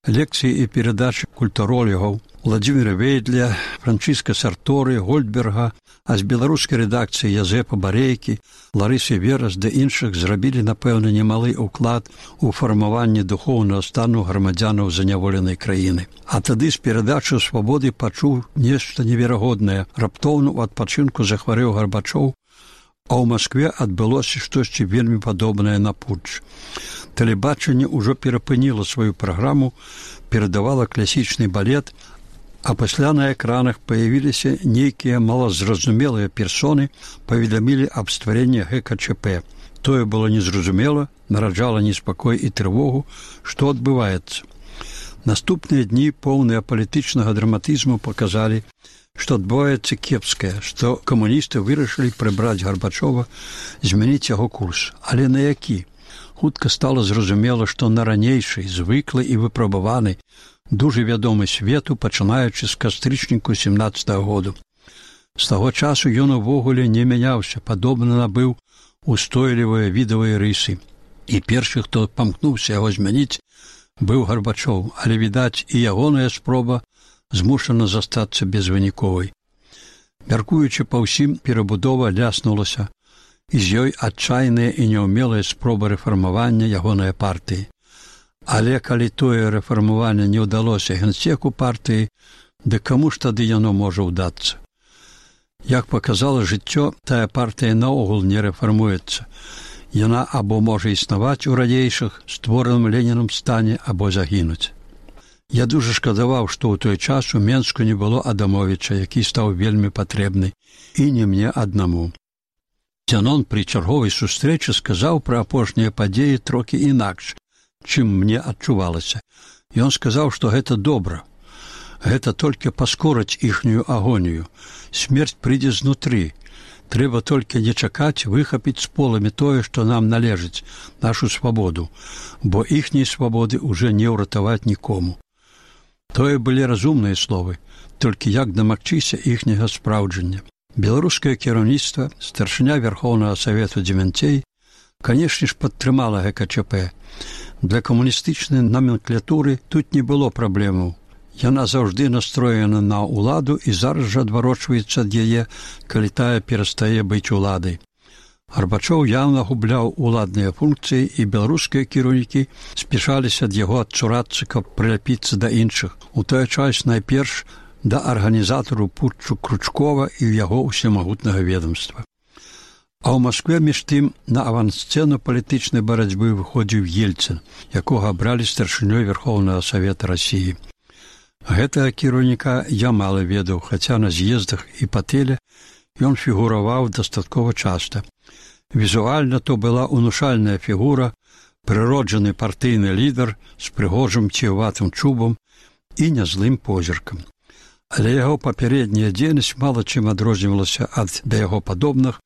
Лекцыі і перадачы культуролігаў Владзіміра Вейдля, Франчыска Сарторы, Гольдберга, а з беларускай рэдакцыі Язэпа Барейкі, Ларысы Верас ды іншых зрабілі, напэўна, немалы ўклад у фармаванне духоўнага стану грамадзянаў заняволенай краіны. А тады з перадачы «Свабоды» пачуў нешта неверагоднае. Раптоўна ў адпачынку захварэў Гарбачоў, а ў Маскве адбылося штосьці вельмі падобнае на путч. Тэлебачанне ўжо перапыніла сваю праграму, перадавала класічны балет, а пасля на экранах паявіліся нейкія малазразумелыя персоны, паведамілі аб стварэнні ГКЧП. Тое было незразумела, нараджала неспакой і трывогу, што адбываецца. Наступныя дні, поўныя палітычнага драматызму, паказалі, што адбываецца кепскае, што камуністы вырашылі прыбраць Гарбачова, змяніць яго курс. Але на які? Хутка стала зразумела, што на ранейшай, звыклай і выпрабаванай, дужа вядомы свету, пачынаючы з кастрычніку 17-го году. З таго часу ён увогуле не мяняўся, падобна набыў устойлівыя відавыя рысы. І першы, хто памкнуўся яго змяніць, быў Гарбачоў, але, відаць, і ягоная спроба змушана застацца безвыніковай. Мяркуючы па ўсім, перабудова ляснулася, і з ёй адчайная і няўмелая спроба рэфармавання ягонай партыі. Але калі тое рэфармаванне не ўдалося генсеку партыі, дык каму ж тады яно можа ўдацца? Як паказала жыццё, тая партыя наогул не рэфармуецца. Яна або можа існаваць у ранейшых, створаным Ленінам стане, або загінуць. Я дуже шкадаваў, што ў той час у Менску не было Адамовіча, які стаў вельмі патрэбны, і не мне аднаму. Зянон пры чарговай сустрэчы сказаў пра апошнія падзеі трохі інакш, чым мне адчувалася. Ён сказаў, што гэта добра. Гэта толькі паскорыць іхнюю агонію. Смерць прыйдзе знутры. Трэба толькі не чакаць выхапіць з поламі тое, што нам належыць, нашу свабоду, бо іхняй свабоды ўжо не ўратаваць нікому. Тое былі разумныя словы, толькі як дамагчыся іхняга спраўджання. Беларускае кіраўніцтва, старшыня Верхоўнага Савету Дзевянцей, канешне ж, падтрымала ГКЧП. Для камуністычнай номенклатуры тут не было праблемаў. Яна заўжды настроена на ўладу і зараз жа адварочваецца ад яе, калі тая перастае быць уладай. Гарбачоў яўна губляў уладныя функцыі, і беларускія кіраўнікі спяшаліся ад яго адцурацца, каб прыляпіцца да іншых. У той час найперш да арганізатару путчу Кручкова і яго ўсемагутнага ведомства. А ў Маскве між тым на авансцэну палітычнай барацьбы выходзіў Ельцын, якога абралі старшынёй Верхоўнага Савета Расіі. Гэтага кіраўніка я мала ведаў, хаця на з'ездах і па тэле ён фігураваў дастаткова часта. Візуальна то была унушальная фігура, прыроджаны партыйны лідар з прыгожым ціватым чубам і нязлым позіркам. Але яго папярэдняя дзейнасць мала чым адрознівалася ад да яго падобных,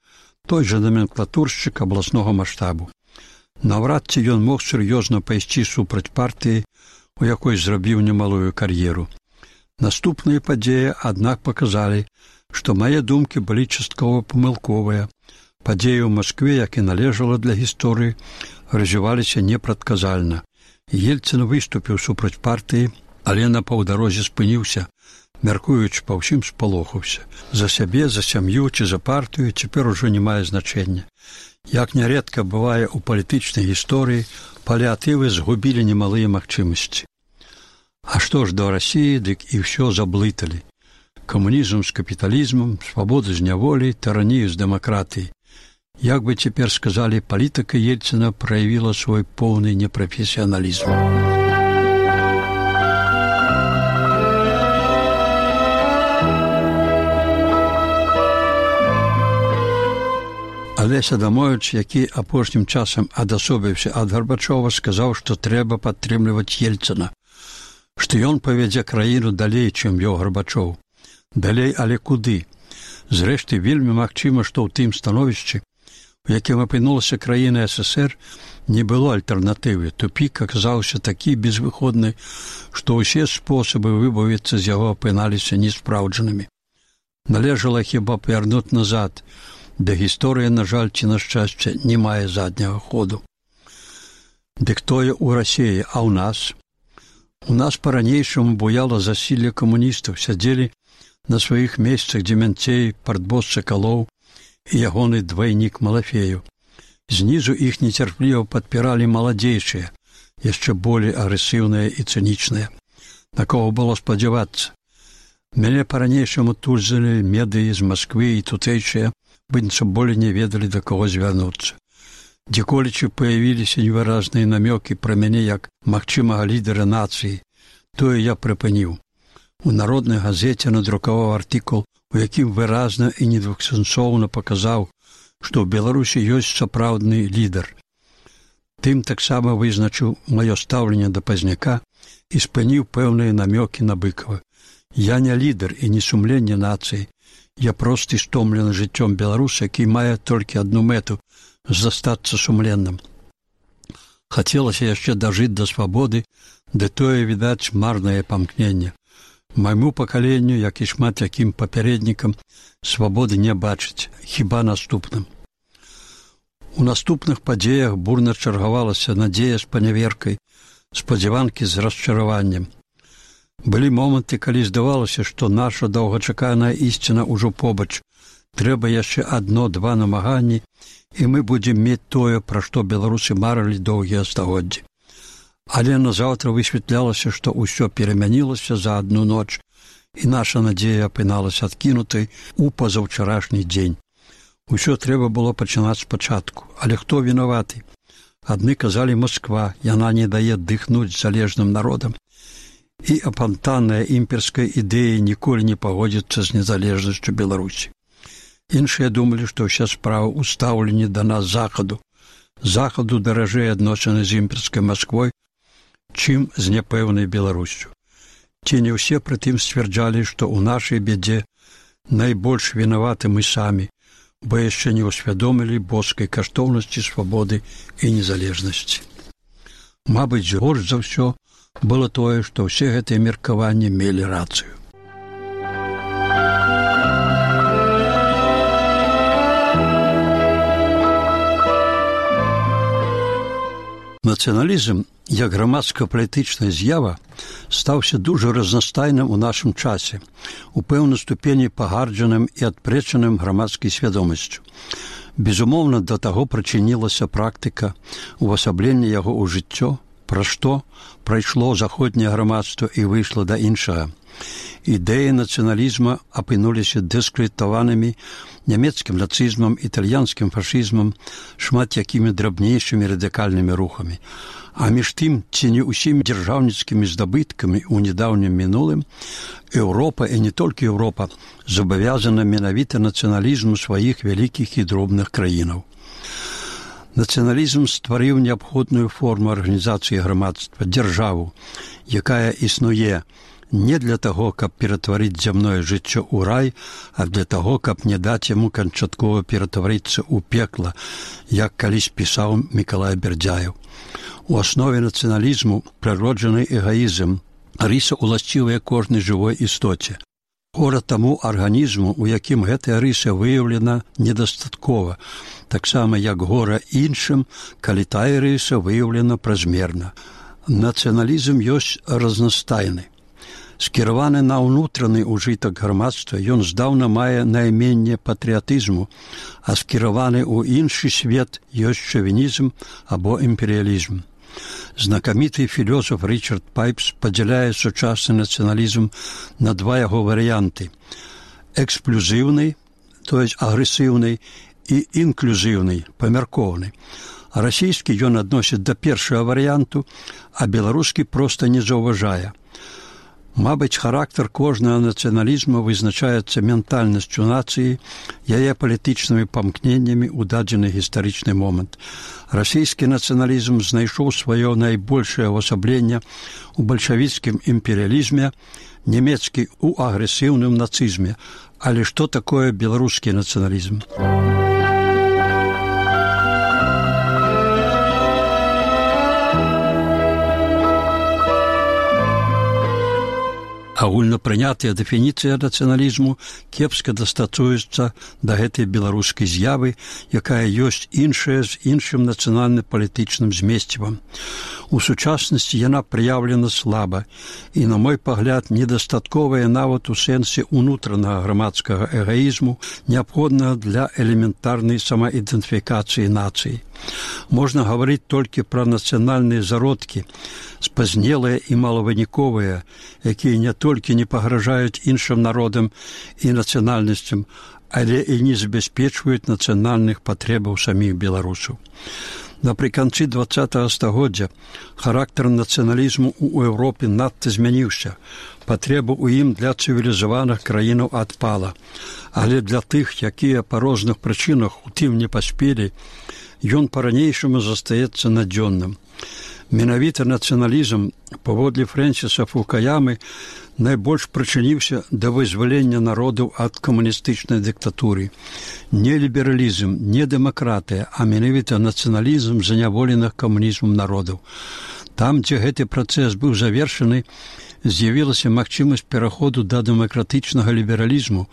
той жа номенклатуршчык абласнога маштабу. Наўрад ці ён мог сур'ёзна пайсці супраць партыі, у якой зрабіў немалую кар'еру. Наступныя падзеі, аднак, паказалі, што мае думкі былі часткова памылковыя. Падзеі ў Маскве, як і належала для гісторыі, развіваліся непрадказальна. Ельцын выступіў супраць партыі, але на паўдарозе спыніўся, мяркуючы па ўсім спалохаўся. За сябе, за сям'ю ці за партыю цяпер ужо не мае значэння. Як нярэдка бывае ў палітычнай гісторыі, паліатывы згубілі немалыя магчымасці. А што ж да Расіі, дык і ўсё заблыталі. Камунізм з капіталізмам, свабоду з няволі, тыранію з дэмакратыяй. Як бы цяпер сказалі, палітыка Ельцына праявіла свой поўны непрафесіяналізм. Алесь Адамовіч, які апошнім часам адасобіўся ад Гарбачова, сказаў, што трэба падтрымліваць Ельцына, што ён павядзе краіну далей, чым вёў Гарбачоў. Далей, але куды? Зрэшты, вельмі магчыма, што ў тым становішчы, у якім апынулася краіна СССР, не было альтэрнатывы. Тупік аказаўся такі безвыходны, што ўсе спосабы выбавіцца з яго апыналіся неспраўджанымі. Належала хіба павярнуць назад. Да гісторыя, на жаль, ці на шчасце, не мае задняга ходу. Дык тое ў Расіі, а ў нас? У нас па-ранейшаму буяла засілле камуністаў, сядзелі на сваіх месцах Дземянцей, партбос Сакалоў і ягоны двайнік Малафею. Знізу іх нецярпліва падпіралі маладзейшыя, яшчэ болей агрэсіўныя і цынічныя. На кого было спадзявацца? Мяне па-ранейшаму тузалі медыі з Масквы і тутэйшыя, быццам болей не ведалі, да каго звярнуцца. Дзеколечы паявіліся невыразныя намёкі пра мяне як магчымага лідара нацыі. Тое я прыпыніў. У народнай газеце надрукаваў артыкул, у якім выразна і недвухсэнсоўна паказаў, што ў Беларусі ёсць сапраўдны лідар. Тым таксама вызначыў маё стаўленне да Пазняка і спыніў пэўныя намёкі на Быкава. Я не лідар і не сумленне нацыі. Я просты стомлены жыццём беларус, які мае толькі адну мэту – застацца сумленным. Хацелася яшчэ дажыць да свабоды, ды тое, відаць, марнае памкненне. Майму пакаленню, як і шмат якім папярэднікам, свабоды не бачыць, хіба наступным. У наступных падзеях бурна чаргавалася надзея з паняверкай, спадзяванкі з расчараваннем. Былі моманты, калі здавалася, што наша доўгачаканая ісціна ўжо побач. Трэба яшчэ адно-два намаганні, і мы будзем мець тое, пра што беларусы марылі доўгія стагоддзі. Але назаўтра высвятлялася, што ўсё перамянілася за адну ноч, і наша надзея апыналася адкінутай у пазаўчарашні дзень. Усё трэба было пачынаць спачатку. Але хто вінаваты? Адны казалі Масква, яна не дае дыхнуць залежным народам. і апантанная імперская ідэя ніколі не пагодзіцца з незалежнасцю Беларусі. Іншыя думалі, што ўся справа ў стаўленні да нас захаду. Захаду даражэй адносіны з імперскай Масквой, чым з няпэўнай Беларусю. Ці не ўсе прытым сцвярджалі, што ў нашай бядзе найбольш вінаваты мы самі, бо яшчэ не ўсвядомілі боскай каштоўнасці свабоды і незалежнасці. Мабыць, горш за ўсё было тое, што ўсе гэтыя меркаванні мелі рацыю. Нацыяналізм, як грамадска-палітычная з'ява, стаўся дужа разнастайным у нашым часе, у пэўнай ступені пагарджаным і адпрэчаным грамадскай свядомасцю. Безумоўна, да таго прычынілася практыка увасаблення яго ў жыццё, пра што прайшло заходняе грамадства і выйшла да іншага. Ідэі нацыяналізма апынуліся дыскрэдытаванымі нямецкім нацызмам, італьянскім фашызмам, шмат якімі драбнейшымі радыкальнымі рухамі. А між тым, ці не ўсімі дзяржаўніцкімі здабыткамі ў нядаўнім мінулым, Еўропа, і не толькі Еўропа, забавязана менавіта нацыяналізму сваіх вялікіх і дробных краінаў. Нацыяналізм стварыў неабходную форму арганізацыі грамадства, дзяржаву, якая існуе не для таго, каб ператварыць зямное жыццё ў рай, а для таго, каб не даць яму канчаткова ператварыцца ў пекла, як калісь пісаў Мікалай Бердзяеў. У аснове нацыяналізму прыроджаны эгаізм, рыса уласцівая кожнай жывой істоце. Гора таму арганізму, у якім гэтая рыса выяўлена недастаткова, таксама як гора іншым, калі тая рыса выяўлена празмерна. Нацыяналізм ёсць разнастайны. Скіраваны на ўнутраны ўжытак грамадства, ён здаўна мае найменне патрыятызму, а скіраваны ў іншы свет ёсць шавінізм або імперыялізм. Знакаміты філёзаф Річард Пайпс падзяляе сучасны нацыяналізм на два яго варыянты – эксплюзіўны, то есть агрэсіўны, і інклюзіўны, памяркоўны. Расійскі ён адносіць да першага варыянту, а беларускі проста не заўважае. Мабыць, характар кожнага нацыяналізму вызначаецца ментальнасцю нацыі, яе палітычнымі памкненнямі ў дадзены гістарычны момант. Расійскі нацыяналізм знайшоў сваё найбольшае ўвасабленне ў бальшавіцкім імперыялізме, нямецкі ў агрэсіўным нацызме. Але што такое беларускі нацыяналізм? Агульнапрынятая дэфініцыя нацыяналізму кепска дастасуецца да гэтай беларускай з'явы, якая ёсць іншая з іншым нацыянальна-палітычным змесцівам. У сучаснасці яна праяўлена слаба і, на мой пагляд, недастатковая нават у сэнсе ўнутранага грамадскага эгаізму, неабходнага для элементарнай самаідэнтыфікацыі нацыі. Можна гаварыць толькі пра нацыянальныя зародкі, спазнелыя і малавыніковыя, якія не толькі не пагражаюць іншым народам і нацыянальнасцям, але і не забяспечваюць нацыянальных патрэбаў саміх беларусаў. Напрыканцы 20-го стагоддзя характар нацыяналізму ў Еўропе надта змяніўся. Патрэба ў ім для цывілізаваных краінаў адпала. Але для тых, якія па розных прычынах у тым не паспелі, ён па-ранейшаму застаецца надзённым. Менавіта нацыяналізм, паводле Фрэнсіса Фукуямы, найбольш прычыніўся да вызвалення народаў ад камуністычнай дыктатуры. Не лібералізм, не дэмакратыя, а менавіта нацыяналізм заняволеных камунізмам народаў. Там, дзе гэты працэс быў завершаны, з'явілася магчымасць пераходу да дэмакратычнага лібералізму,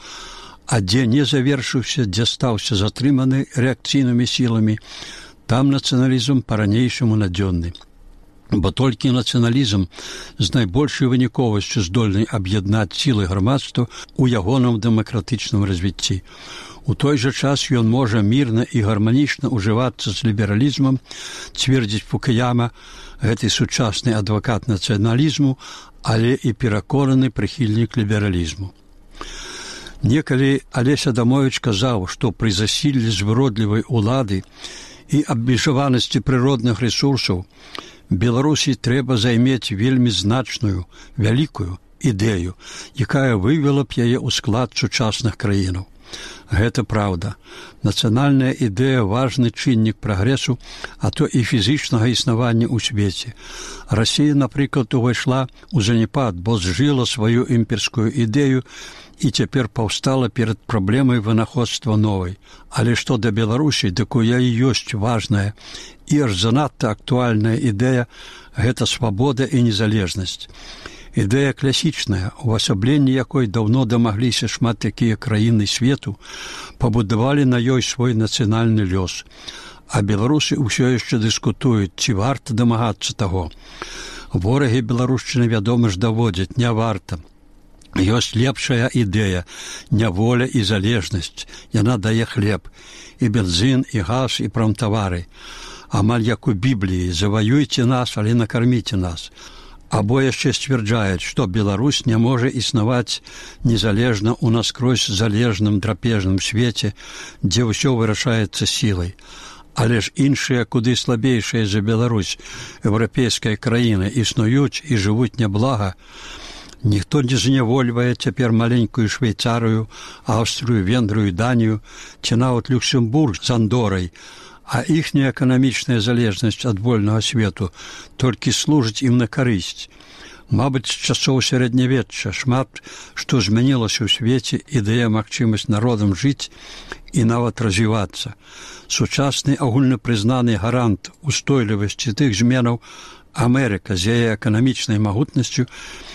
а дзе не завершыўся, дзе стаўся затрыманы рэакцыйнымі сіламі, там нацыяналізм па-ранейшаму надзённы. Бо толькі нацыяналізм з найбольшай выніковасцю здольны аб'яднаць сілы грамадства ў ягоным дэмакратычным развіцці. У той жа час ён можа мірна і гарманічна ўжывацца з лібералізмам, цвердзіць Фукуяма, гэты сучасны адвакат нацыяналізму, але і пераконаны прыхільнік лібералізму. Некалі Алесь Адамовіч казаў, што пры засіллі звыродлівай улады і абмежаванасці прыродных рэсурсаў Беларусі трэба займець вельмі значную, вялікую ідэю, якая вывела б яе ў склад сучасных краінаў. Гэта праўда. Нацыянальная ідэя – важны чыннік прагрэсу, а то і фізічнага існавання ў свеце. Расія, напрыклад, увайшла ў заняпад, бо зжыла сваю імперскую ідэю і цяпер паўстала перад праблемай вынаходства новай. Але што да Беларусі, дык у яе ёсць важная і аж занадта актуальная ідэя – гэта свабода і незалежнасць. Ідэя класічная, увасабленне якой даўно дамагліся шмат якія краіны свету, пабудавалі на ёй свой нацыянальны лёс. А беларусы ўсё яшчэ дыскутуюць, ці варта дамагацца таго. Ворагі беларушчыны, вядома ж, даводзяць, не варта. Ёсць лепшая ідэя, няволя і залежнасць. Яна дае хлеб, і бензін, і газ, і прамтавары. Амаль як у Бібліі, заваюйце нас, але накарміце нас. Або яшчэ сцвярджаюць, што Беларусь не можа існаваць незалежна ў наскрозь залежным драпежным свеце, дзе ўсё вырашаецца сілай. Але ж іншыя, куды слабейшыя за Беларусь, еўрапейская краіна, існуюць і жывуць няблага. Ніхто не знявольвае цяпер маленькую Швейцарыю, Аўстрыю, Венгрыю, Данію, ці нават Люксембург з Андорай, а іхняя эканамічная залежнасць ад вольнага свету толькі служыць ім на карысць. Мабыць, з часоў сярэднявечча шмат што змянілася ў свеце і дае магчымасць народам жыць і нават развівацца. Сучасны агульнапрызнаны гарант устойлівасці тых зменаў Амерыка з яе эканамічнай магутнасцю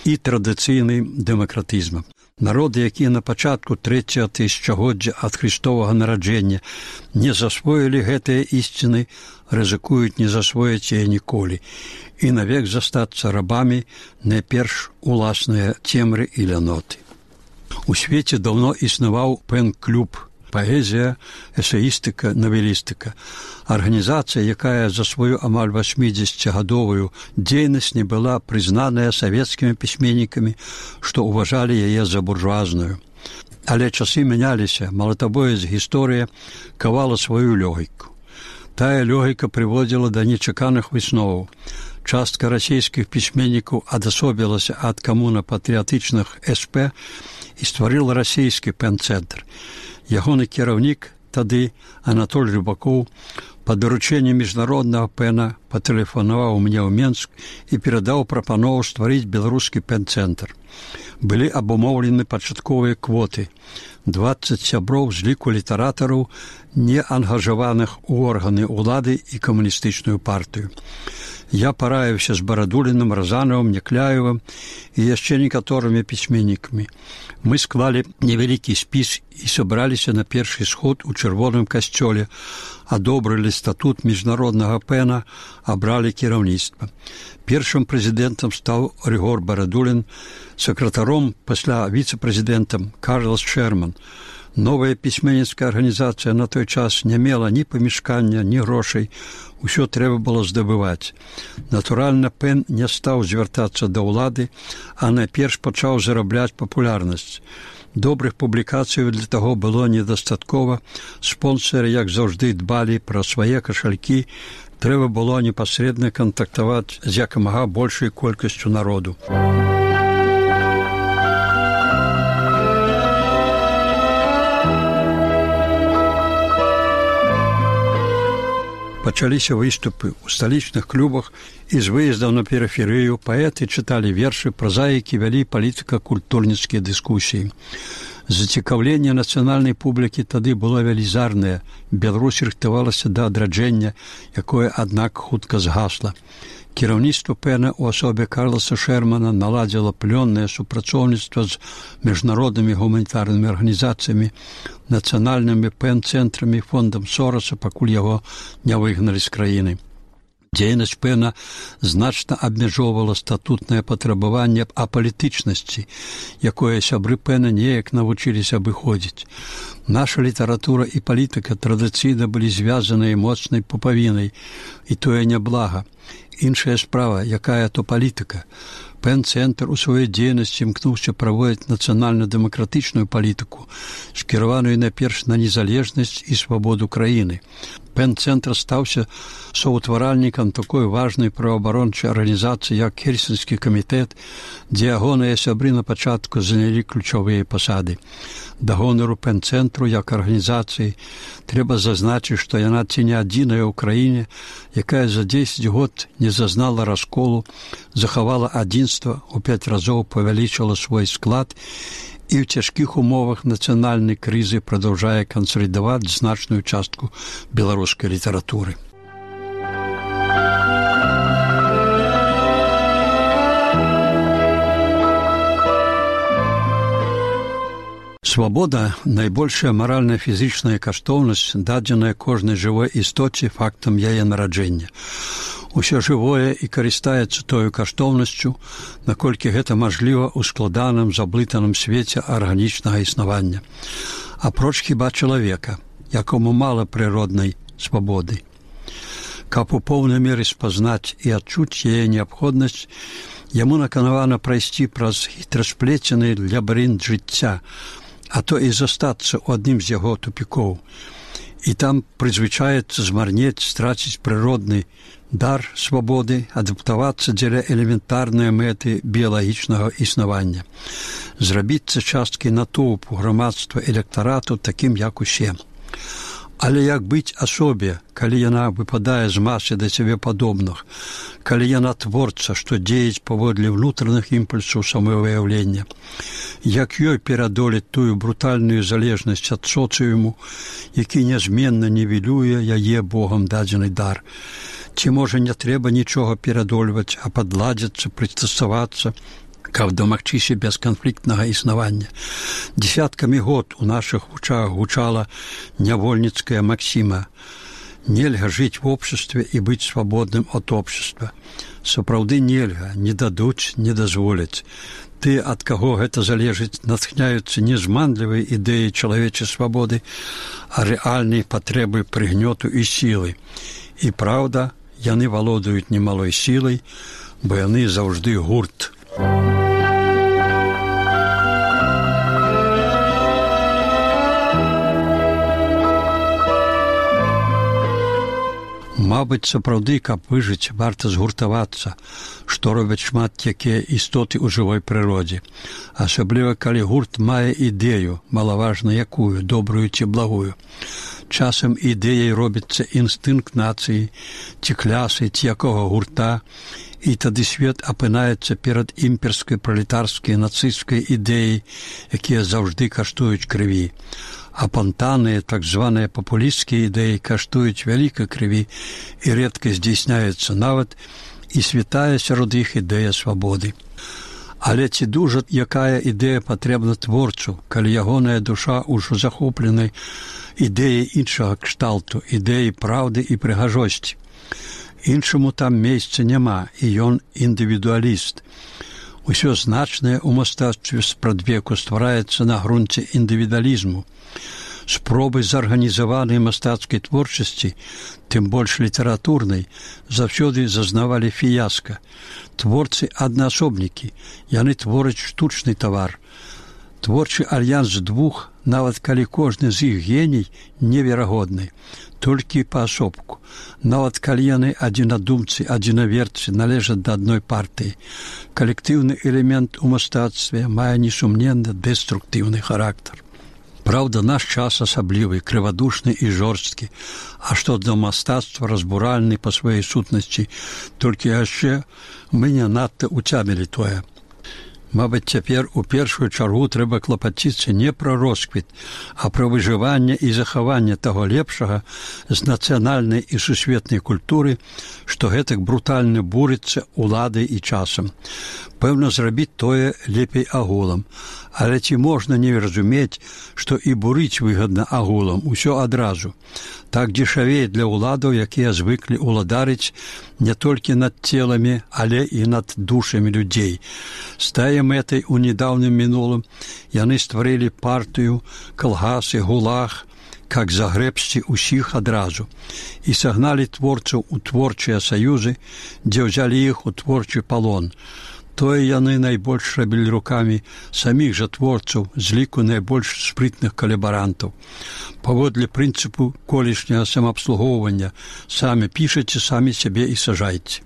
і традыцыйным дэмакратызмам. Народы, якія на пачатку 3-го тысячагоддзя ад Христовага нараджэння не засвоілі гэтыя ісціны, рызыкуюць не засвоіць яе ніколі і навек застацца рабамі найперш уласныя цемры і ляноты. У свеце даўно існаваў пэн-клуб, паэзія, эсеістыка, навелістыка. Арганізацыя, якая за сваю амаль 80-гадовую дзейнасць не была прызнаная савецкімі пісьменнікамі, што ўважалі яе за буржуазную. Але часы мяняліся, малатабоец гісторыя кавала сваю лёгіку. Тая лёгіка прыводзіла да нечаканых высноваў. Частка расійскіх пісьменнікаў адасобілася ад камуна-патрыятычных СП і стварыла расійскі пэн-цэнтр. Ягоны кіраўнік тады, Анатоль Рыбакоў, па даручэнні міжнароднага пэна патэлефанаваў мне ў Менск і перадаў прапанову стварыць беларускі пэн-цэнтр. Былі абумоўлены пачатковыя квоты. 20 сяброў з ліку літаратараў, не ангажаваных у органы ўлады і камуністычную партыю. Я параіўся з Барадуліным, Разанавым, Някляевым і яшчэ некаторымі пісьменнікамі. Мы склалі невялікі спіс і сабраліся на першы сход у чырвоным касцёле, адобрылі статут міжнароднага пэна, абралі кіраўніцтва. Першым прэзідэнтам стаў Рыгор Барадулін, сакратаром, пасля віцэ-прэзідэнтам Карлас Шерман. Новая пісьменніцкая арганізацыя на той час не мела ні памяшкання, ні грошай. Усё трэба было здабываць. Натуральна, пэн не стаў звяртацца да ўлады, а найперш пачаў зарабляць папулярнасць. Добрых публікацый для таго было недастаткова. Спонсары, як заўжды, дбалі пра свае кашалькі. Трэба было непасрэдна кантактаваць з якамага большай колькасцю народу. Пачаліся выступы ў сталічных клубах і з выездаў на перыферыю паэты чыталі вершы, празаікі вялі палітыка-культурніцкія дыскусіі. Зацікаўленне нацыянальнай публікі тады было велізарнае. Беларусь рыхтавалася да адраджэння, якое, аднак, хутка згасла. Кіраўніцтва пэна ў асобе Карласа Шермана наладзіла плённае супрацоўніцтва з міжнароднымі гуманітарнымі арганізацыямі, нацыянальнымі пэн-цэнтрамі, фондам Сораса, пакуль яго не выгналі з краіны. Дзейнасць пэна значна абмяжоўвала статутнае патрабаванне апалітычнасці, якое сябры пэна неяк навучыліся абыходзіць. Наша літаратура і палітыка традыцыйна былі звязаныя моцнай пупавінай, і тое няблага. Іншая справа, якая то палітыка. Пен-цэнтр у сваёй дзейнасці імкнуўся праводзіць нацыянальна-дэмакратычную палітыку, скіраваную найперш на незалежнасць і свабоду краіны. Пен-цэнтр стаўся соўтваральнікам такой важнай праваабарончай арганізацыі, як Хельсінскі камітэт, дзе ягоныя сябры на пачатку занялі ключовыя пасады. Да гонару Пен-цэнтру як арганізацыі трэба зазначыць, што яна ці не адзіная ў краіне, якая за 10 год не зазнала расколу, захавала адзінства, у 5 разоў павялічыла свой склад і ў цяжкіх умовах нацыянальнай крызы прадаўжае кансалідаваць значную частку беларускай літаратуры. Свабода – найбольшая маральна-фізічная каштоўнасць, дадзеная кожнай жывой істоце фактам яе нараджэння. Усё жывое і карыстаецца тою каштоўнасцю, наколькі гэта мажліва ў складаным, заблытаным свеце арганічнага існавання. Апроч хіба чалавека, якому мала прыроднай свабоды. Каб у поўнай меры спазнаць і адчуць яе неабходнасць, яму наканавана прайсці праз хітрасплецены лабірынт жыцця, а то і застацца ў адным з яго тупікоў. І там прызвычаецца змарнець, страціць прыродны дар свабоды, адаптавацца дзеля элементарнай мэты біялагічнага існавання. Зрабіцца часткай натоўпу грамадства электарату такім, як усе. Але як быць асобе, калі яна выпадае з масы да сябе падобных, калі яна творца, што дзеяць паводле ўнутраных імпульсаў самавыяўлення? Як ёй перадолець тую брутальную залежнасць ад соцыуму, які нязменна нівелюе яе Богам дадзены дар? Ці, можа, не трэба нічога перадольваць, а падладзіцца, прыстасавацца, каб дамагчыся бесканфліктнага існавання? Дзесяткамі год у нашых вучах гучала нявольніцкая максіма: нельга жыць в обществе і быць свабодным ад общества. Сапраўды нельга, не дадуць, не дазволяць. Ты, ад каго гэта залежыць, натхняюцца не зманлівай ідэі чалавечай свабоды, а рэальнай патрэбы прыгнёту і сілы. І праўда, яны валодаюць немалой сілай, бо яны заўжды гурт. Мабыць, сапраўды, каб выжыць, варта згуртавацца, што робяць шмат якія істоты ў жывой прыродзе. Асабліва, калі гурт мае ідэю, малаважна якую, добрую ці благую. Часам ідэяй робіцца інстынкт нацыі, ці клясы, ці якога гурта, і тады свет апынаецца перад імперскай, пралетарскай, нацысцкай ідэяй, якія заўжды каштуюць крыві. Апантаныя, так званыя папулісцкія ідэі каштуюць вялікай крыві і рэдка здзейсняецца нават і святая сярод іх ідэя свабоды. Але ці дужа якая ідэя патрэбна творцу, калі ягоная душа ўжо захопленай ідэяй іншага кшталту, ідэяй праўды і прыгажосці? Іншаму там месца няма, і ён індывідуаліст. Усё значнае ў мастацтве спрадвеку ствараецца на грунце індывідуалізму. Спробы зарганізаванай мастацкай творчасці, тым больш літаратурнай, заўсёды зазнавалі фіяска. Творцы аднаасобнікі, яны твораць штучны тавар. Творчы альянс двух, нават калі кожны з іх геній, неверагодны, толькі паасобку. Нават калі яны адзінадумцы, адзінаверцы, належаць да адной партыі. Калектыўны элемент у мастацтве мае несумненна дэструктыўны характар. Праўда, наш час асаблівы, крывадушны і жорсткі, а што да мастацтва разбуральны па сваёй сутнасці, толькі яшчэ мы не надта уцямілі тое. Мабыць, цяпер у першую чаргу трэба клапаціцца не пра росквіт, а пра выжыванне і захаванне таго лепшага з нацыянальнай і сусветнай культуры, што гэтак брутальна бурыцца уладай і часам. Пэўна, зрабіць тое лепей агулам. Але ці можна не разумець, што і бурыць выгадна агулам, усё адразу. Так дзешавее для ўладаў, якія звыклі ўладарыць не толькі над целамі, але і над душамі людзей. З тае мэтай у недаўнім мінулым яны стварылі партыю, калгасы, гулаг, как загрэбсці ўсіх адразу, і сагналі творцаў у творчыя саюзы, дзе ўзялі іх у творчы палон. Тое яны найбольш рабілі рукамі саміх жа творцаў з ліку найбольш спрытных калабарантаў. Паводле прынцыпу колішняга самаабслугоўвання самі пішаце, самі сябе і сажайце.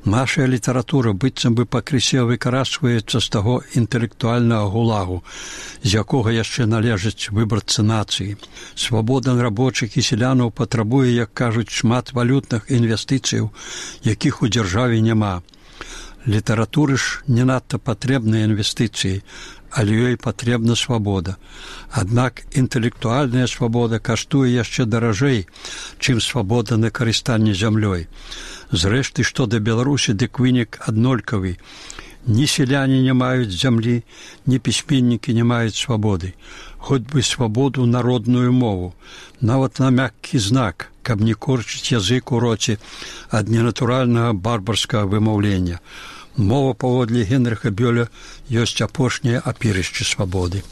Наша літаратура быццам бы пакрысе выкарачваецца з таго інтэлектуальнага гулагу, з якога яшчэ належыць выбарцы нацыі. Свабода рабочых і селянаў патрабуе, як кажуць, шмат валютных інвестыцыяў, якіх у дзяржаве няма. Літаратуры ж не надта патрэбныя інвестыцыі, але ёй патрэбна свабода. Аднак інтэлектуальная свабода каштуе яшчэ даражэй, чым свабода на карыстанне зямлёй. Зрэшты, што да Беларусі, дык вынік аднолькавы. Ні селяне не маюць зямлі, ні пісьменнікі не маюць свабоды. Хоць бы свабоду народную мову, нават на мяккі знак, каб не корчыць язык у роце ад ненатуральнага барбарскага вымаўлення. Мова, паводле Генрыха Бёля, ёсць апошняе апірышча свабоды.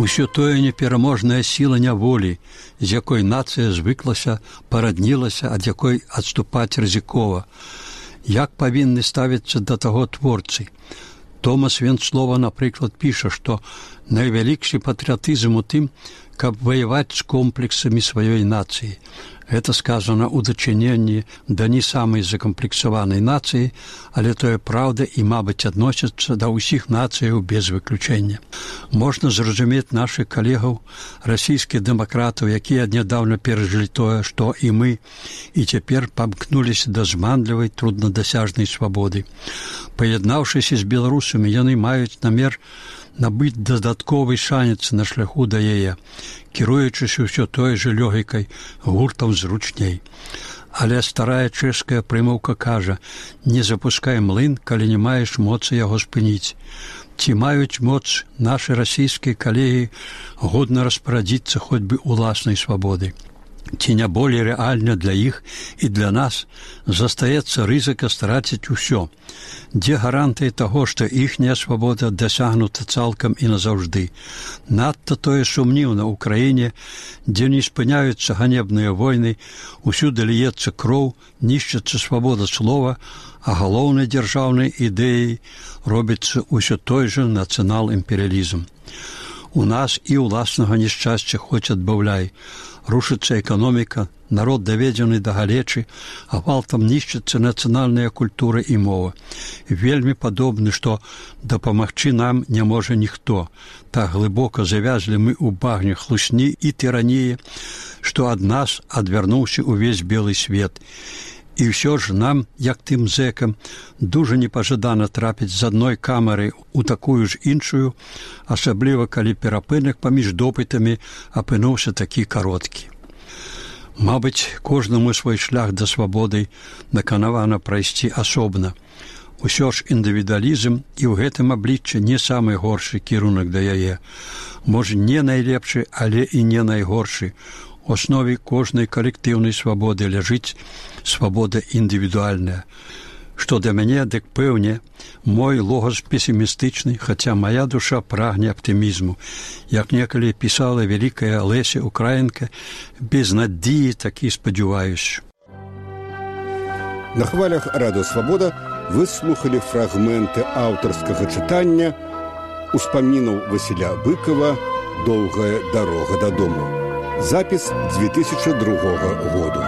Усё тое непераможная сіла няволі, з якой нацыя звыклася, параднілася, ад якой адступаць рызыкова. Як павінны ставіцца да таго творцы? Томас Венцлова, напрыклад, піша, што найвялікшы патрыятызм у тым, каб ваяваць з комплексамі сваёй нацыі. Гэта сказана ў дачыненні да не самай закамплексаванай нацыі, але тое праўда і, мабыць, адносіцца да ўсіх нацыяў без выключэння. Можна зразумець нашых калегаў, расійскіх дэмакратаў, якія нядаўна перажылі тое, што і мы, і цяпер памкнуліся да зманлівай, труднадасяжнай свабоды. Паяднаўшыся з беларусамі, яны маюць намер набыць дадатковы шанец на шляху да яе, кіруючыся ўсё той жа лёгікай, гуртам зручней. Але старая чэшская прымаўка кажа: не запускай млын, калі не маеш моцы яго спыніць. Ці маюць моц нашы расійскія калегі годна распарадзіцца хоць бы уласнай свабодай? Ці не болей рэальна для іх і для нас застаецца рызыка страціць усё? Дзе гарантыі таго, што іхняя свабода дасягнута цалкам і назаўжды? Надта тое сумніўна ў краіне, дзе не спыняюцца ганебныя войны, усюды ліецца кроў, нішчыцца свабода слова, а галоўнай дзяржаўнай ідэяй робіцца ўсё той жа нацыянал-імперыялізм. У нас і ўласнага няшчасця хоць адбаўляй. Рушыцца эканоміка, народ даведзены да галечы, а гвалтам нішчыцца нацыянальная культура і мова. Вельмі падобны, што дапамагчы нам не можа ніхто. Так глыбока завязлі мы ў багне хлусні і тыраніі, што ад нас адвярнуўся ўвесь белы свет. І ўсё ж нам, як тым зэкам, дужа непажадана трапіць з адной камары ў такую ж іншую, асабліва калі перапынак паміж допытамі апынуўся такі кароткі. Мабыць, кожнаму свой шлях да свабоды наканавана прайсці асобна. Усё ж індывідуалізм і ў гэтым абліччы не самы горшы кірунак да яе. Можа, не найлепшы, але і не найгоршы. У аснове кожнай калектыўнай свабоды ляжыць свабода індывідуальная. Што да мяне, дык пэўне, мой логас песімістычны, хаця мая душа прагне аптымізму. Як некалі пісала вялікая Леся Украінка, без надзеі такі спадзяваюся. На хвалях Радыё Свабода вы слухалі фрагменты аўтарскага чытання успамінаў Васіля Быкова «Доўгая дарога дадому». Запіс 2002 году.